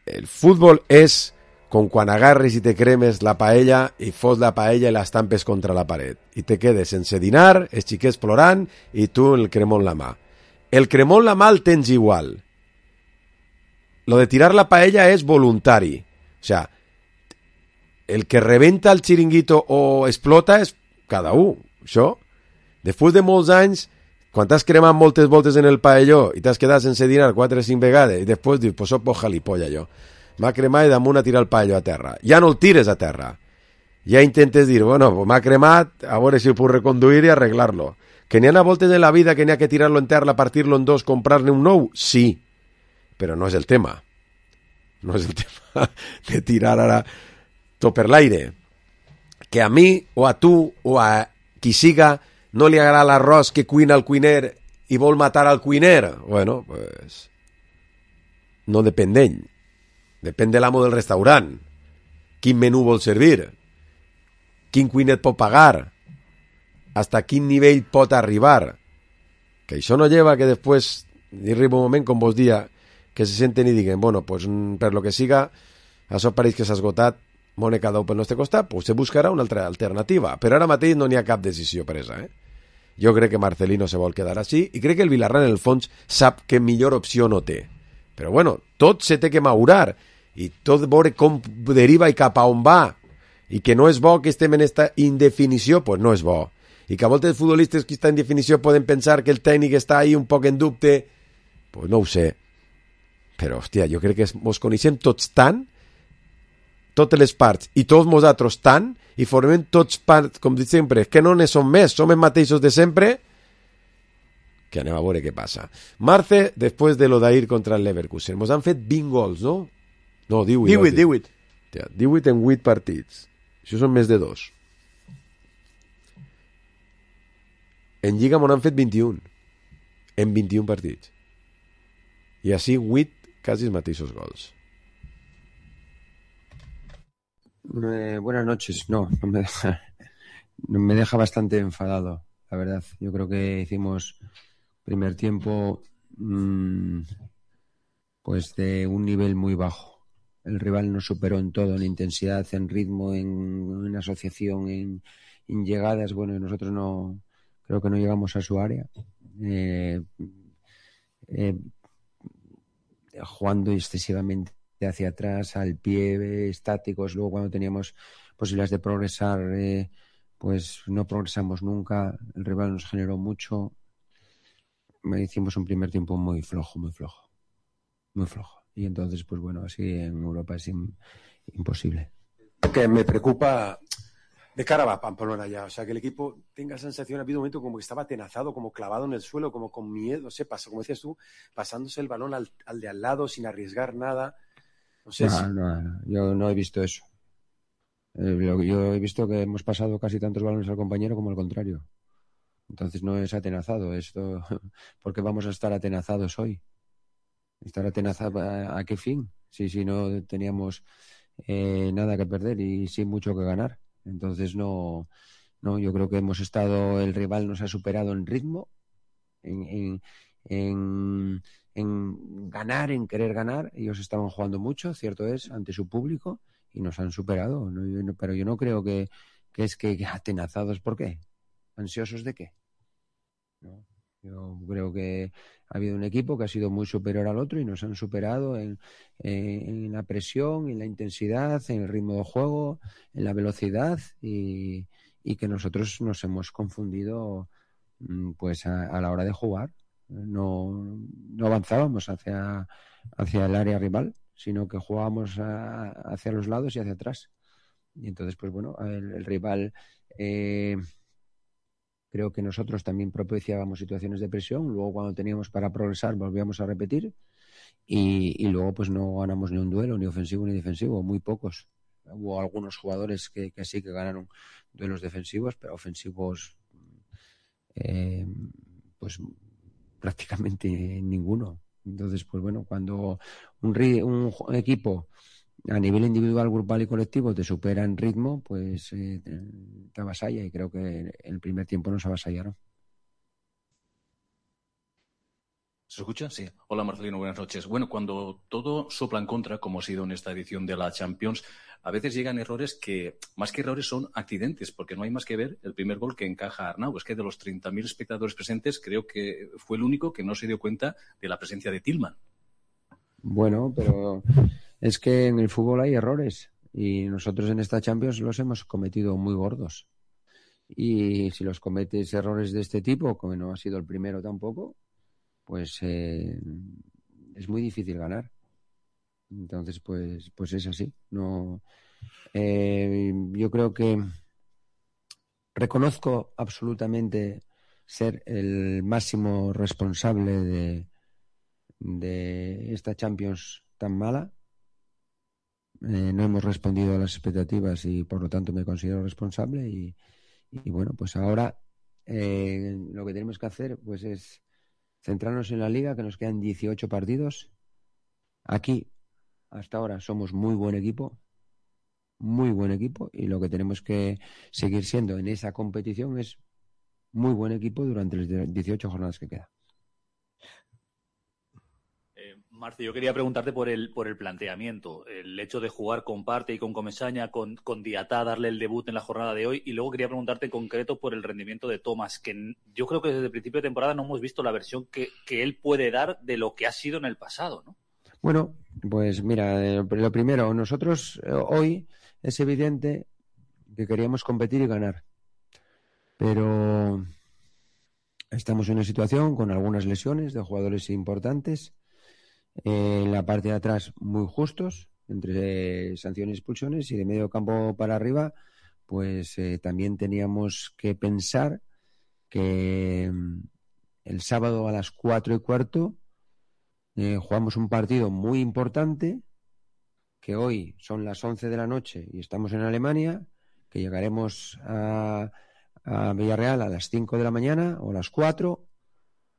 El futbol és com quan agarres i te cremes la paella i fos la paella i l'estampes contra la paret. I te quedes sense dinar, els xiquets plorant i tu el cremó en la mà. El cremó en la mà el tens igual. Lo de tirar la paella és voluntari. O sea, el que rebenta el xiringuito o explota és cada un. Això. Després de molts anys, quan t'has cremat moltes voltes en el paelló i t'has quedat sense dinar quatre o cinc vegades, i després dius, pues soc por jalipollas jo. M'ha cremat i damunt a tirar el paelló a terra. Ja no el tires a terra. Ja intentes dir, bueno, pues m'ha cremat, a veure si ho puc reconduir i arreglar-lo. Que n'hi ha voltes en la vida que n'hi ha que tirar-lo en terra, partir-lo en dos, comprar-ne un nou? Sí, però no és el tema. No és el tema de tirar ara tot per l'aire. Que a mi, o a tu, o a qui siga, no li agrada l'arròs que cuina el cuiner i vol matar al cuiner. Bueno, pues... no depèn d'ell. Depèn de l'amo del restaurant. Quin menú vol servir. Quin cuiner et pot pagar. Hasta quin nivell pot arribar. Que això no lleva que després arriba un moment, com vos dia, que se senten i diguen, bueno, pues per lo que siga, això pareix que s'ha esgotat, mone cada un pel nostre costat, pues se buscarà una altra alternativa. Però ara mateix no n'hi ha cap decisió presa, eh? Jo crec que Marcelino se vol quedar així i crec que el Villarreal, en el fons, sap que millor opció no té. Però bueno, tot se té que madurar i tot veure com deriva i cap a on va, i que no és bo que estem en esta indefinició, pues no és bo. I que a voltes els futbolistes que estan en definició poden pensar que el tècnic està ahí un poc en dubte, pues no ho sé. Però, hòstia, jo crec que ens coneixem tots tant, totes les parts, i tots nosaltres tant, i formem tots parts, com dic sempre, que no ne som més, som els mateixos de sempre, que anem a veure què passa. Marce, després de lo d'ahir contra el Leverkusen, mos han fet vint gols, no? No, divuit. divuit, divuit. divuit en vuit partits. Això són més de dos. En Lliga m'ho han fet vint-i-un. En vint-i-un partits. I així vuit quasi els mateixos gols. Eh, buenas noches. No, no me deja, no me deja bastante enfadado, la verdad. Yo creo que hicimos primer tiempo mmm, pues de un nivel muy bajo. El rival nos superó en todo, en intensidad, en ritmo, en, en asociación, en, en llegadas. Bueno, y nosotros no, creo que no llegamos a su área. Eh, eh, jugando excesivamente hacia atrás, al pie, estáticos. Luego cuando teníamos posibilidades de progresar, eh, pues no progresamos nunca. El rival nos generó mucho. Hicimos un primer tiempo muy flojo, muy flojo. Muy flojo. Y entonces, pues bueno, así en Europa es in, imposible. Que me preocupa de cara a Pamplona ya. O sea, que el equipo tenga sensación, ha habido un momento como que estaba atenazado, como clavado en el suelo, como con miedo, no sé, pasa, como decías tú, pasándose el balón al, al de al lado sin arriesgar nada. No sé no, si... no, no, yo no he visto eso. Eh, lo, yo he visto que hemos pasado casi tantos balones al compañero como al contrario. Entonces no es atenazado esto, porque vamos a estar atenazados hoy. Estar atenazados, ¿a, a qué fin? Si, si no teníamos eh, nada que perder y sí mucho que ganar. Entonces no, no, yo creo que hemos estado, el rival nos ha superado en ritmo, en, en, en, en ganar, en querer ganar. Ellos estaban jugando mucho, cierto es, ante su público y nos han superado. ¿No? Yo no, pero yo no creo que, que es que atenazados, ¿por qué? ¿Ansiosos de qué? ¿No? Yo creo que ha habido un equipo que ha sido muy superior al otro y nos han superado en, en, en la presión, en la intensidad, en el ritmo de juego, en la velocidad y, y que nosotros nos hemos confundido pues a, a la hora de jugar. No, no avanzábamos hacia, hacia el área rival, sino que jugábamos a, hacia los lados y hacia atrás. Y entonces, pues bueno, el, el rival... Eh, Creo que nosotros también propiciábamos situaciones de presión. Luego, cuando teníamos para progresar, volvíamos a repetir. Y, y luego, pues no ganamos ni un duelo, ni ofensivo ni defensivo. Muy pocos. Hubo algunos jugadores que, que sí que ganaron duelos defensivos, pero ofensivos, eh, pues prácticamente ninguno. Entonces, pues bueno, cuando un, un equipo a nivel individual, grupal y colectivo te supera en ritmo, pues eh, te, te avasalla y creo que en el primer tiempo nos avasallaron. ¿Se escucha? Sí. Hola Marcelino, buenas noches. Bueno, cuando todo sopla en contra, como ha sido en esta edición de la Champions, a veces llegan errores que, más que errores, son accidentes, porque no hay más que ver el primer gol que encaja Arnau. Es que de los treinta mil espectadores presentes, creo que fue el único que no se dio cuenta de la presencia de Tillman. Bueno, pero... es que en el fútbol hay errores y nosotros en esta Champions los hemos cometido muy gordos. Y si los cometes errores de este tipo, como no ha sido el primero tampoco, pues eh, es muy difícil ganar. Entonces, pues, pues es así. No, eh, yo creo que reconozco absolutamente ser el máximo responsable de, de esta Champions tan mala. Eh, no hemos respondido a las expectativas y por lo tanto me considero responsable y, y bueno, pues ahora eh, lo que tenemos que hacer pues es centrarnos en la liga, que nos quedan dieciocho partidos. Aquí hasta ahora somos muy buen equipo, muy buen equipo, y lo que tenemos que seguir siendo en esa competición es muy buen equipo durante las dieciocho jornadas que quedan. Marce, yo quería preguntarte por el por el planteamiento, el hecho de jugar con Partey y con Comesaña, con, con Diatá, darle el debut en la jornada de hoy, y luego quería preguntarte en concreto por el rendimiento de Thomas, que yo creo que desde el principio de temporada no hemos visto la versión que, que él puede dar de lo que ha sido en el pasado, ¿no? Bueno, pues mira, eh, lo primero, nosotros eh, hoy es evidente que queríamos competir y ganar, pero estamos en una situación con algunas lesiones de jugadores importantes. Eh, en la parte de atrás muy justos, entre eh, sanciones y expulsiones, y de medio campo para arriba, pues eh, también teníamos que pensar que mm, el sábado a las cuatro y cuarto eh, jugamos un partido muy importante, que hoy son las once de la noche y estamos en Alemania, que llegaremos a, a Villarreal a las cinco de la mañana o a las cuatro,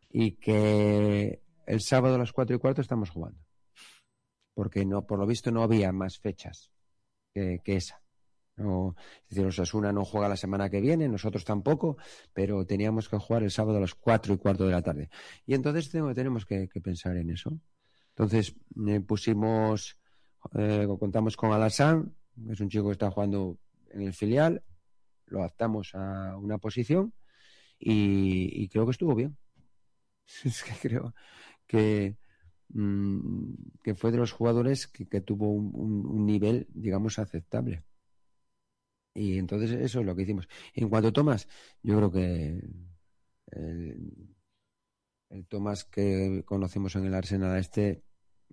y que el sábado a las cuatro y cuarto estamos jugando. Porque no, por lo visto no había más fechas que, que esa. No, es decir, Osasuna no juega la semana que viene, nosotros tampoco, pero teníamos que jugar el sábado a las cuatro y cuarto de la tarde. Y entonces tengo, tenemos que, que pensar en eso. Entonces eh, pusimos, eh, contamos con Alassane, que es un chico que está jugando en el filial, lo adaptamos a una posición y, y creo que estuvo bien. Es que creo que, mmm, que fue de los jugadores que, que tuvo un, un, un nivel, digamos, aceptable. Y entonces eso es lo que hicimos. En cuanto a Thomas, yo creo que el, el Thomas que conocemos en el Arsenal este,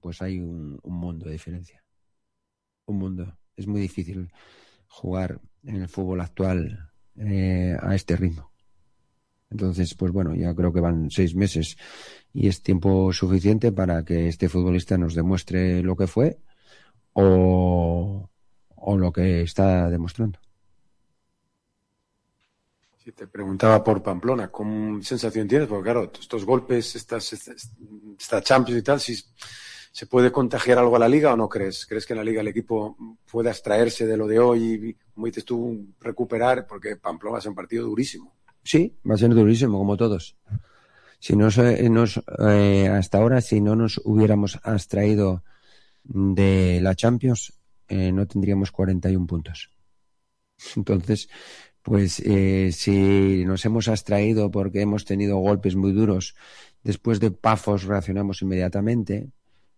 pues hay un, un mundo de diferencia. Un mundo. Es muy difícil jugar en el fútbol actual eh, a este ritmo. Entonces, pues bueno, ya creo que van seis meses y es tiempo suficiente para que este futbolista nos demuestre lo que fue o, o lo que está demostrando. Sí, te preguntaba por Pamplona, ¿cómo sensación tienes? Porque claro, estos golpes, estas, estas, esta Champions y tal, si se puede contagiar algo a la Liga o no crees? ¿Crees que en la Liga el equipo pueda extraerse de lo de hoy y, como dices tú, recuperar? Porque Pamplona va a ser un partido durísimo. Sí, va a ser durísimo, como todos. Si no nos, eh, hasta ahora, si no nos hubiéramos abstraído de la Champions, eh, no tendríamos cuarenta y un puntos. Entonces, pues eh, si nos hemos abstraído porque hemos tenido golpes muy duros, después de Pafos reaccionamos inmediatamente,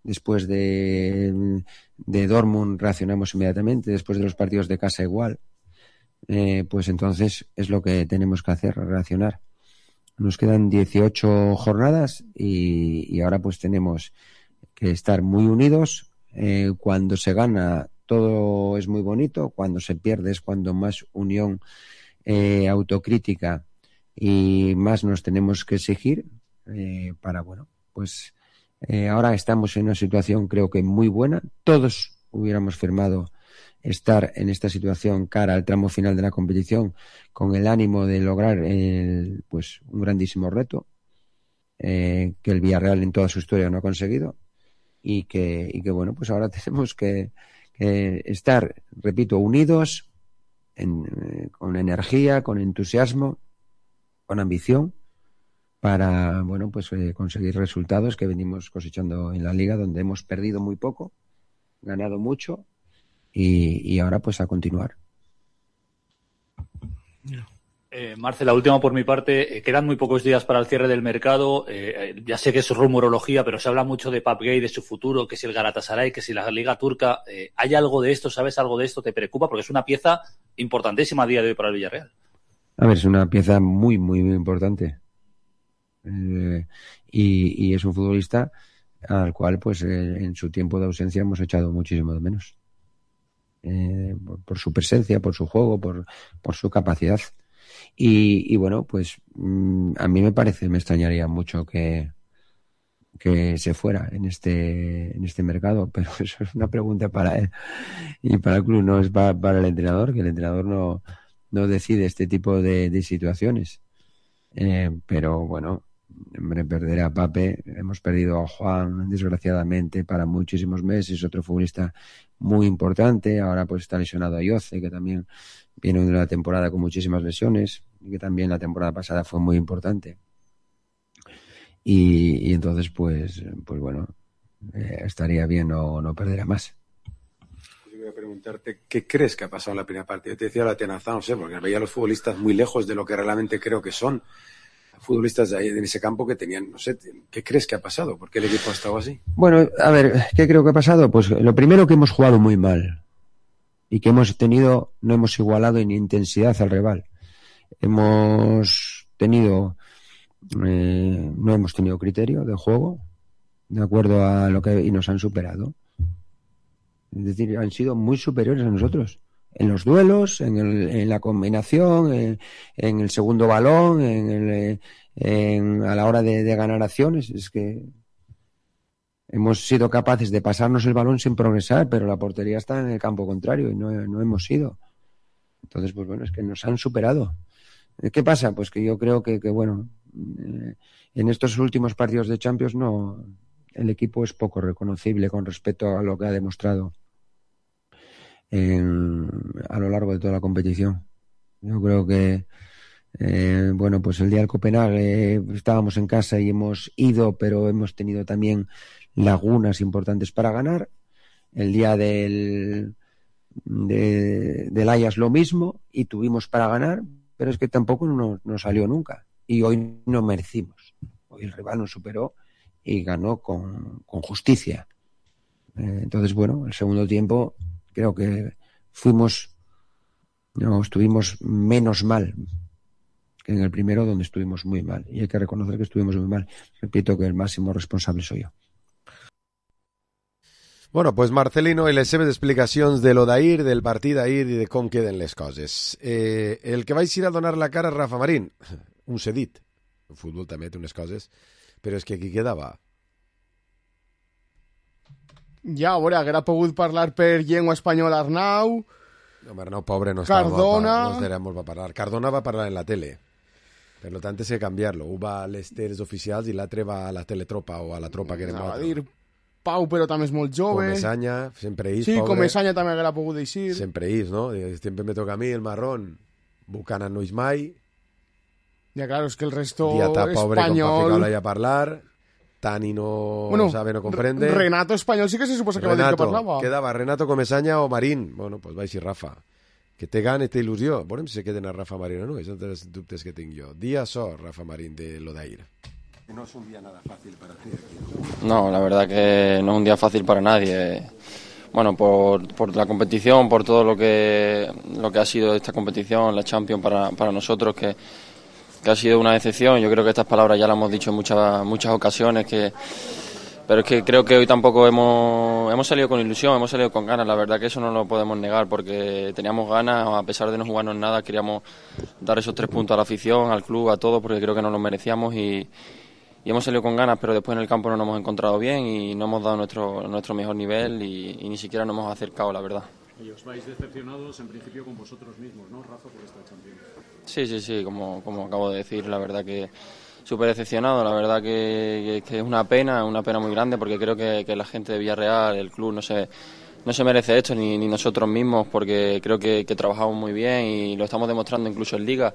después de, de Dortmund reaccionamos inmediatamente, después de los partidos de casa igual. Eh, pues entonces es lo que tenemos que hacer, reaccionar. Nos quedan dieciocho jornadas y, y ahora pues tenemos que estar muy unidos. Eh, cuando se gana todo es muy bonito, cuando se pierde es cuando más unión, eh, autocrítica y más nos tenemos que exigir eh, para, bueno, pues eh, ahora estamos en una situación creo que muy buena. Todos hubiéramos firmado estar en esta situación cara al tramo final de la competición con el ánimo de lograr el, pues un grandísimo reto eh, que el Villarreal en toda su historia no ha conseguido y que, y que bueno, pues ahora tenemos que, que estar, repito, unidos en, eh, con energía, con entusiasmo, con ambición para, bueno, pues eh, conseguir resultados que venimos cosechando en la Liga, donde hemos perdido muy poco, ganado mucho. Y, y ahora pues a continuar. Eh, Marce, la última por mi parte. Eh, quedan muy pocos días para el cierre del mercado. Eh, eh, ya sé que es rumorología, pero se habla mucho de Pape Gueye, de su futuro, que si el Galatasaray, que si la Liga Turca. Eh, ¿Hay algo de esto? ¿Sabes algo de esto? ¿Te preocupa? Porque es una pieza importantísima a día de hoy para el Villarreal. A ver, es una pieza muy, muy, muy importante. Eh, y, y es un futbolista al cual, pues, eh, en su tiempo de ausencia hemos echado muchísimo de menos. Eh, por, por su presencia, por su juego, por, por su capacidad. Y, y bueno, pues mmm, a mí me parece, me extrañaría mucho que, que se fuera en este, en este mercado, pero eso es una pregunta para él y para el club, no es para, para el entrenador, que el entrenador no, no decide este tipo de, de situaciones. Eh, pero bueno, hombre, perder a Pape, hemos perdido a Juan, desgraciadamente, para muchísimos meses, otro futbolista muy importante, ahora pues está lesionado a Yoce, que también viene de una temporada con muchísimas lesiones, y que también la temporada pasada fue muy importante. Y, y entonces, pues, pues bueno, eh, estaría bien no, no perder a más. Yo voy a preguntarte, ¿qué crees que ha pasado en la primera parte? Yo te decía la tenaza, no sé, porque veía a los futbolistas muy lejos de lo que realmente creo que son. Futbolistas de ahí, en ese campo que tenían, no sé, ¿qué crees que ha pasado? ¿Por qué el equipo ha estado así? Bueno, a ver, ¿qué creo que ha pasado? Pues lo primero, que hemos jugado muy mal y que hemos tenido, no hemos igualado en intensidad al rival. Hemos tenido, eh, no hemos tenido criterio de juego, de acuerdo a lo que, y nos han superado. Es decir, han sido muy superiores a nosotros. En los duelos, en, el, en la combinación, en, en el segundo balón, en el, en, a la hora de, de ganar acciones. Es que hemos sido capaces de pasarnos el balón sin progresar, pero la portería está en el campo contrario y no, no hemos sido. Entonces, pues bueno, es que nos han superado. ¿Qué pasa? Pues que yo creo que, que bueno, eh, en estos últimos partidos de Champions no, el equipo es poco reconocible con respecto a lo que ha demostrado En, a lo largo de toda la competición. Yo creo que eh, bueno, pues el día del Copenhague eh, estábamos en casa y hemos ido, pero hemos tenido también lagunas importantes para ganar. El día del de, del Ajax lo mismo, y tuvimos para ganar, pero es que tampoco nos no salió nunca, y hoy no merecimos. Hoy el rival nos superó y ganó con, con justicia. Eh, entonces, bueno, el segundo tiempo creo que fuimos, no, estuvimos menos mal que en el primero, donde estuvimos muy mal. Y hay que reconocer que estuvimos muy mal. Repito que el máximo responsable soy yo. Bueno, pues Marcelino i les seves explicacions de lo d'ahir, del partit d'ahir i de com queden les coses. Eh, el que vaig ir a donar la cara a Rafa Marín, un cedit. El futbol també té unes coses, però és que aquí quedava. Ja, a veure, haguera pogut parlar per llengua espanyola Arnau. No, Arnau, pobre, no estava. Cardona. No estaremos va parlar. Cardona va parlar en la tele. Per lo tant, és que canviar-lo. Un va a les teles oficials i l'altre va a la teletropa o a la tropa que era no, a dir Pau, però també és molt jove. Comesaña, sempre is, sí, pobre. Comesaña també haguera pogut deixir. Sempre is, no? Sempre me toca a mi el marrón. Buchanan no és mai. Ja, claro, és que el resto Diatà, pobre, espanyol... com pa ficar a parlar... Tani no bueno, sabe, no comprende. Renato español sí que se suposa que Renato, va dir que parlava. Quedava Renato, Comesaña o Marín. Bueno, pues va a ir Rafa. Que té gana, té il·lusió. Veurem si se queden a Rafa Marín o no. Esos son los dubtes que tengo yo. Día so, Rafa Marín, de lo de ayer. No es un día nada fácil para ti. No, la verdad que no es un día fácil para nadie. Bueno, por, por la competición, por todo lo que, lo que ha sido esta competición, la Champions para, para nosotros, que... que ha sido una decepción. Yo creo que estas palabras ya las hemos dicho en muchas muchas ocasiones, que pero es que creo que hoy tampoco hemos hemos salido con ilusión, hemos salido con ganas. La verdad que eso no lo podemos negar, porque teníamos ganas, a pesar de no jugarnos nada, queríamos dar esos tres puntos a la afición, al club, a todos, porque creo que nos lo merecíamos y, y hemos salido con ganas, pero después en el campo no nos hemos encontrado bien y no hemos dado nuestro nuestro mejor nivel y, y ni siquiera nos hemos acercado, la verdad. Y os vais decepcionados en principio con vosotros mismos, ¿no, Rafa, por esta Champions? Sí, sí, sí, como, como acabo de decir, la verdad que súper decepcionado, la verdad que, que, que es una pena, una pena muy grande, porque creo que, que la gente de Villarreal, el club, no se, no se merece esto, ni, ni nosotros mismos, porque creo que, que trabajamos muy bien y lo estamos demostrando incluso en Liga.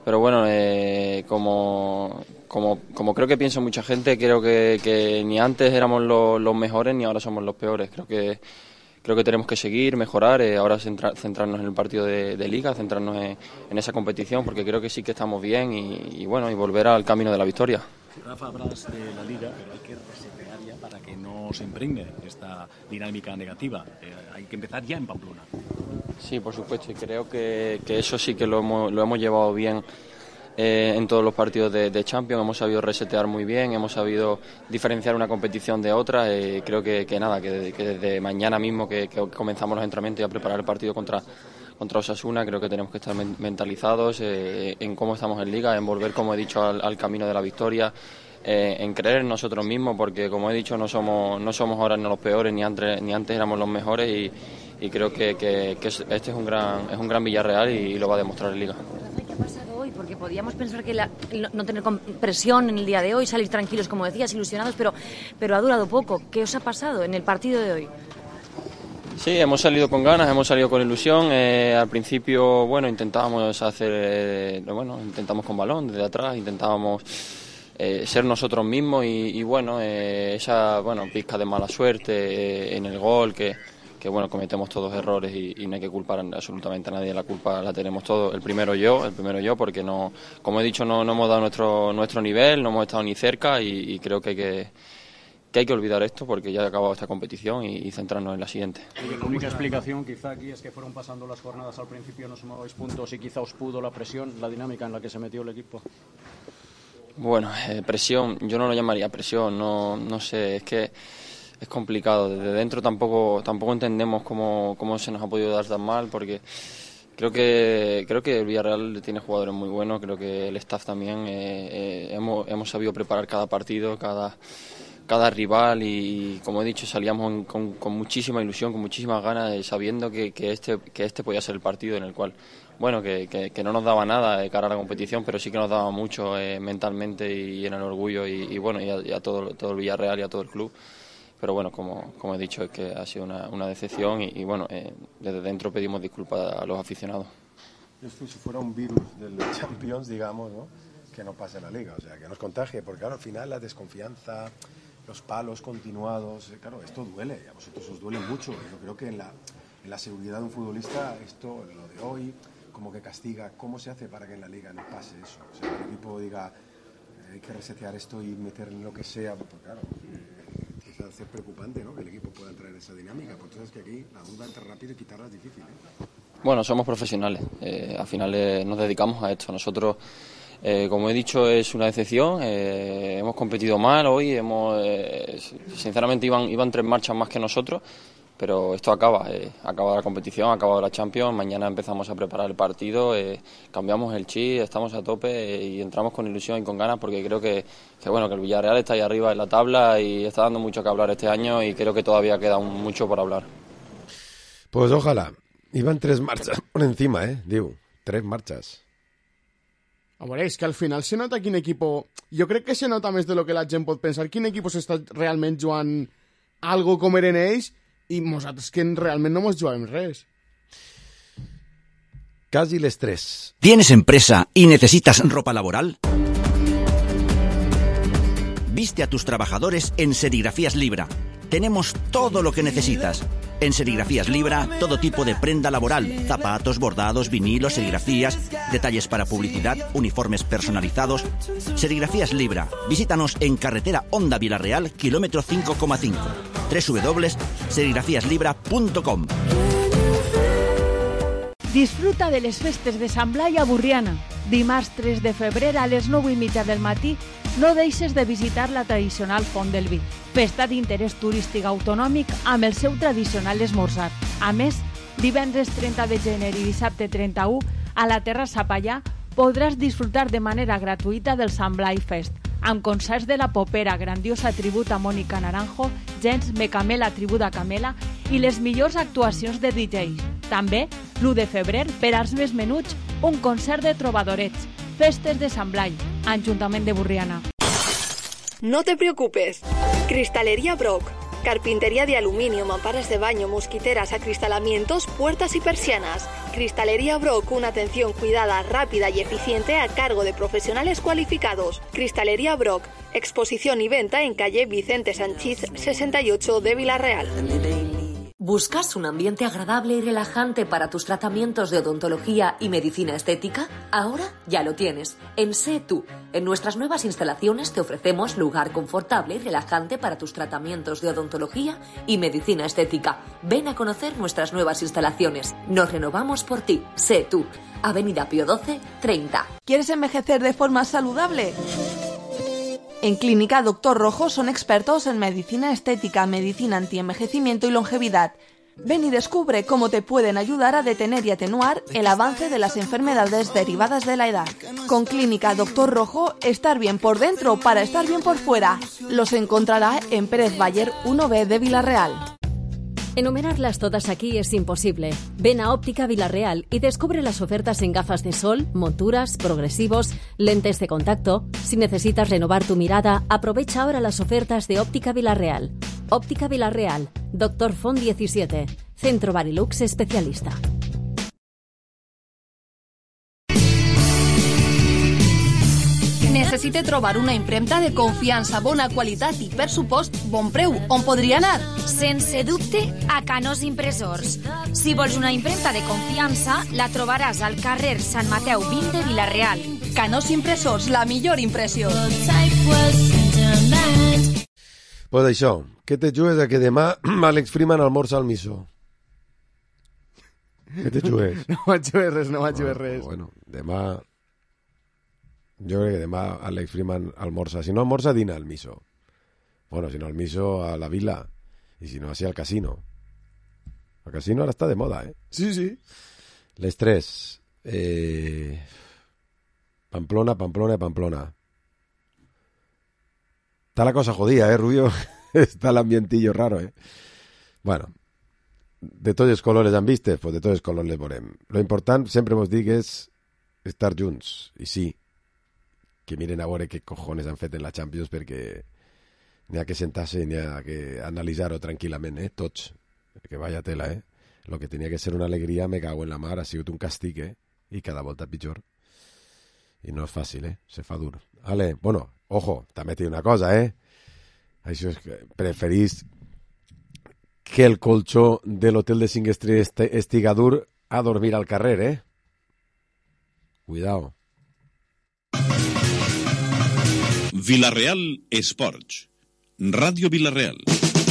Pero bueno, eh, como, como, como creo que piensa mucha gente, creo que, que ni antes éramos los, los mejores ni ahora somos los peores. Creo que Creo que tenemos que seguir, mejorar, eh, ahora centra, centrarnos en el partido de, de Liga, centrarnos en, en esa competición, porque creo que sí que estamos bien y, y bueno, y volver al camino de la victoria. Rafa, hablas de la Liga, pero hay que resetear ya para que no se impregne esta dinámica negativa. Eh, hay que empezar ya en Pamplona. Sí, por supuesto, y creo que, que eso sí que lo hemos, lo hemos llevado bien eh, en todos los partidos de, de Champions. Hemos sabido resetear muy bien, hemos sabido diferenciar una competición de otra. Eh, creo que, que nada, que, que desde mañana mismo que, que comenzamos los entrenamientos y a preparar el partido contra, contra Osasuna, creo que tenemos que estar mentalizados eh, en cómo estamos en Liga, en volver, como he dicho, al, al camino de la victoria. Eh, en creer en nosotros mismos, porque como he dicho no somos no somos ahora ni los peores ni antes ni antes éramos los mejores, y, y creo que, que, que este es un gran es un gran Villarreal y, y lo va a demostrar en Liga. ¿Qué ha pasado hoy? Porque podíamos pensar que la, no, no tener presión en el día de hoy, salir tranquilos, como decías, ilusionados, pero pero ha durado poco. ¿Qué os ha pasado en el partido de hoy? Sí, hemos salido con ganas, hemos salido con ilusión. Eh, al principio, bueno, intentábamos hacer, eh, bueno, intentamos con balón desde atrás, intentábamos Eh, ser nosotros mismos y, y bueno, eh, esa bueno pizca de mala suerte eh, en el gol, que, que bueno, cometemos todos errores y, y no hay que culpar absolutamente a nadie, la culpa la tenemos todos, el primero yo, el primero yo, porque no, como he dicho, no, no hemos dado nuestro nuestro nivel, no hemos estado ni cerca y, y creo que hay que, que hay que olvidar esto porque ya ha acabado esta competición y, y centrarnos en la siguiente. Y la única explicación quizá aquí es que fueron pasando las jornadas al principio, no sumabais puntos y quizá os pudo la presión, la dinámica en la que se metió el equipo. Bueno, eh, presión, yo no lo llamaría presión, no, no sé, es que es complicado. Desde dentro tampoco tampoco entendemos cómo, cómo se nos ha podido dar tan mal, porque creo que creo que el Villarreal tiene jugadores muy buenos, creo que el staff también, eh, eh, hemos, hemos sabido preparar cada partido, cada, cada rival y, como he dicho, salíamos en, con, con muchísima ilusión, con muchísimas ganas, eh, sabiendo que, que, este, que este podía ser el partido en el cual... Bueno, que, que, que no nos daba nada de cara a la competición, pero sí que nos daba mucho eh, mentalmente y en el orgullo y, y bueno, y a, y a todo, todo el Villarreal y a todo el club. Pero bueno, como, como he dicho, es que ha sido una, una decepción y, y bueno, eh, desde dentro pedimos disculpas a los aficionados. Esto si fuera un virus del Champions, digamos, ¿no? Que no pase en la Liga, o sea, que nos contagie, porque claro, al final la desconfianza, los palos continuados, eh, claro, esto duele, y a vosotros os duele mucho. Yo creo que en la, en la seguridad de un futbolista, esto, lo de hoy... como que castiga. ¿Cómo se hace para que en la Liga no pase eso? O sea, que el equipo diga, eh, hay que resetear esto y meter en lo que sea, porque claro, eh, empieza a ser preocupante, ¿no? Que el equipo pueda entrar en esa dinámica, porque sabes que aquí la duda entre rápido y quitarla es difícil, ¿eh? Bueno, somos profesionales, eh, al final eh, nos dedicamos a esto. Nosotros, eh, como he dicho, es una decepción, eh, hemos competido mal hoy, hemos eh, sinceramente iban, iban tres marchas más que nosotros, pero esto acaba, eh, acaba la competición, acaba la Champions, mañana empezamos a preparar el partido, eh, cambiamos el chip, estamos a tope eh, y entramos con ilusión y con ganas porque creo que, que bueno que el Villarreal está ahí arriba en la tabla y está dando mucho que hablar este año y creo que todavía queda un, mucho por hablar. Pues ojalá. Iban tres marchas por encima, eh, digo, tres marchas. A veure, és que al final se nota quin equipo... Jo crec que se nota més de lo que la gent pot pensar, quin equip s'està realment jugant algo com eren ells i nosaltres que realment no mos juguem res. Casi les tres. ¿Tienes empresa y necesitas ropa laboral? Viste a tus trabajadores en Serigrafías Libra. Tenemos todo lo que necesitas. En Serigrafías Libra, todo tipo de prenda laboral, zapatos, bordados, vinilos, serigrafías, detalles para publicidad, uniformes personalizados. Serigrafías Libra. Visítanos en carretera Honda Villarreal, kilómetro cinco coma cinco. doble u doble u doble u punto serigrafías libra punto com. Disfruta de les festes de Sant Blai a Burriana. Dimarts tres de febrer a les nou i mitja del matí no deixes de visitar la tradicional Font del Vi, festa d'interès turístic autonòmic amb el seu tradicional esmorzar. A més, divendres trenta de gener i dissabte trenta-u, a la Terrassa Pallà podràs disfrutar de manera gratuïta del Sant Blai Fest, amb concerts de la popera, grandiosa tribut a Mònica Naranjo, Gens Mecamela tribut a Camela i les millors actuacions de D Js. També, l'u de febrer, per als més menuts, un concert de trobadorets. Festes de Sant Blai, Ajuntament de Burriana. No te preocupes. Cristalería Brock. Carpintería de aluminio, mamparas de baño, mosquiteras, acristalamientos, puertas y persianas. Cristalería Brock, una atención cuidada, rápida y eficiente a cargo de profesionales cualificados. Cristalería Brock, exposición y venta en calle Vicente Sanchís sesenta y ocho de Villarreal. ¿Buscas un ambiente agradable y relajante para tus tratamientos de odontología y medicina estética? Ahora ya lo tienes. En Sé Tú. En nuestras nuevas instalaciones te ofrecemos lugar confortable y relajante para tus tratamientos de odontología y medicina estética. Ven a conocer nuestras nuevas instalaciones. Nos renovamos por ti. Sé Tú. Avenida Pío doce, treinta. ¿Quieres envejecer de forma saludable? En Clínica Doctor Rojo son expertos en medicina estética, medicina antienvejecimiento y longevidad. Ven y descubre cómo te pueden ayudar a detener y atenuar el avance de las enfermedades derivadas de la edad. Con Clínica Doctor Rojo, estar bien por dentro para estar bien por fuera. Los encontrará en Pérez Bayer uno B de Villarreal. Enumerarlas todas aquí es imposible. Ven a Óptica Villarreal y descubre las ofertas en gafas de sol, monturas, progresivos, lentes de contacto. Si necesitas renovar tu mirada, aprovecha ahora las ofertas de Óptica Villarreal. Óptica Villarreal, Doctor Font diecisiete, Centro Barilux especialista. Necessite trobar una impremta de confiança, bona qualitat i, per supost, bon preu. On podria anar? Sense dubte, a Canós Impressors. Si vols una impremta de confiança, la trobaràs al carrer Sant Mateu vint de Vila-real. Canós Impressors, la millor impressió. Pues això, què te jugues a que demà Alex Freeman almorza al miso? Què te jugues? No vaig jugar res, no vaig jugar res. Bueno, demà... Jo crec que demà Alex Freeman almorza. Si no almorza, dina al miso. Bueno, si no al miso, a la vila. Y si no, así al casino. El casino ahora está de moda, ¿eh? Sí, sí. Les tres. Eh... Pamplona, Pamplona y Pamplona. Está la cosa jodida, ¿eh, Rubio? Está el ambientillo raro, ¿eh? Bueno, de tots els colors han vistes, pues de tots els colors les veurem. Lo important, sempre mos dic, és estar junts. I sí, que miren a veure què cojones han fet en la Champions, perquè n'hi ha que sentar-se i n'hi ha que analitzar-ho tranquil·lament, eh? Tots. Que vaya tela, eh? Lo que tenia que ser una alegria, me cago en la mar, ha sigut un castig, eh? I cada volta pitjor. I no és fàcil, eh? Se fa dur. Vale, bueno, ojo, també té una cosa, eh? Això és que preferís que el colxó de l'hotel de cinc estrelles estiga dur a dormir al carrer, eh? Cuidao. Villarreal Esports. Ràdio Villarreal.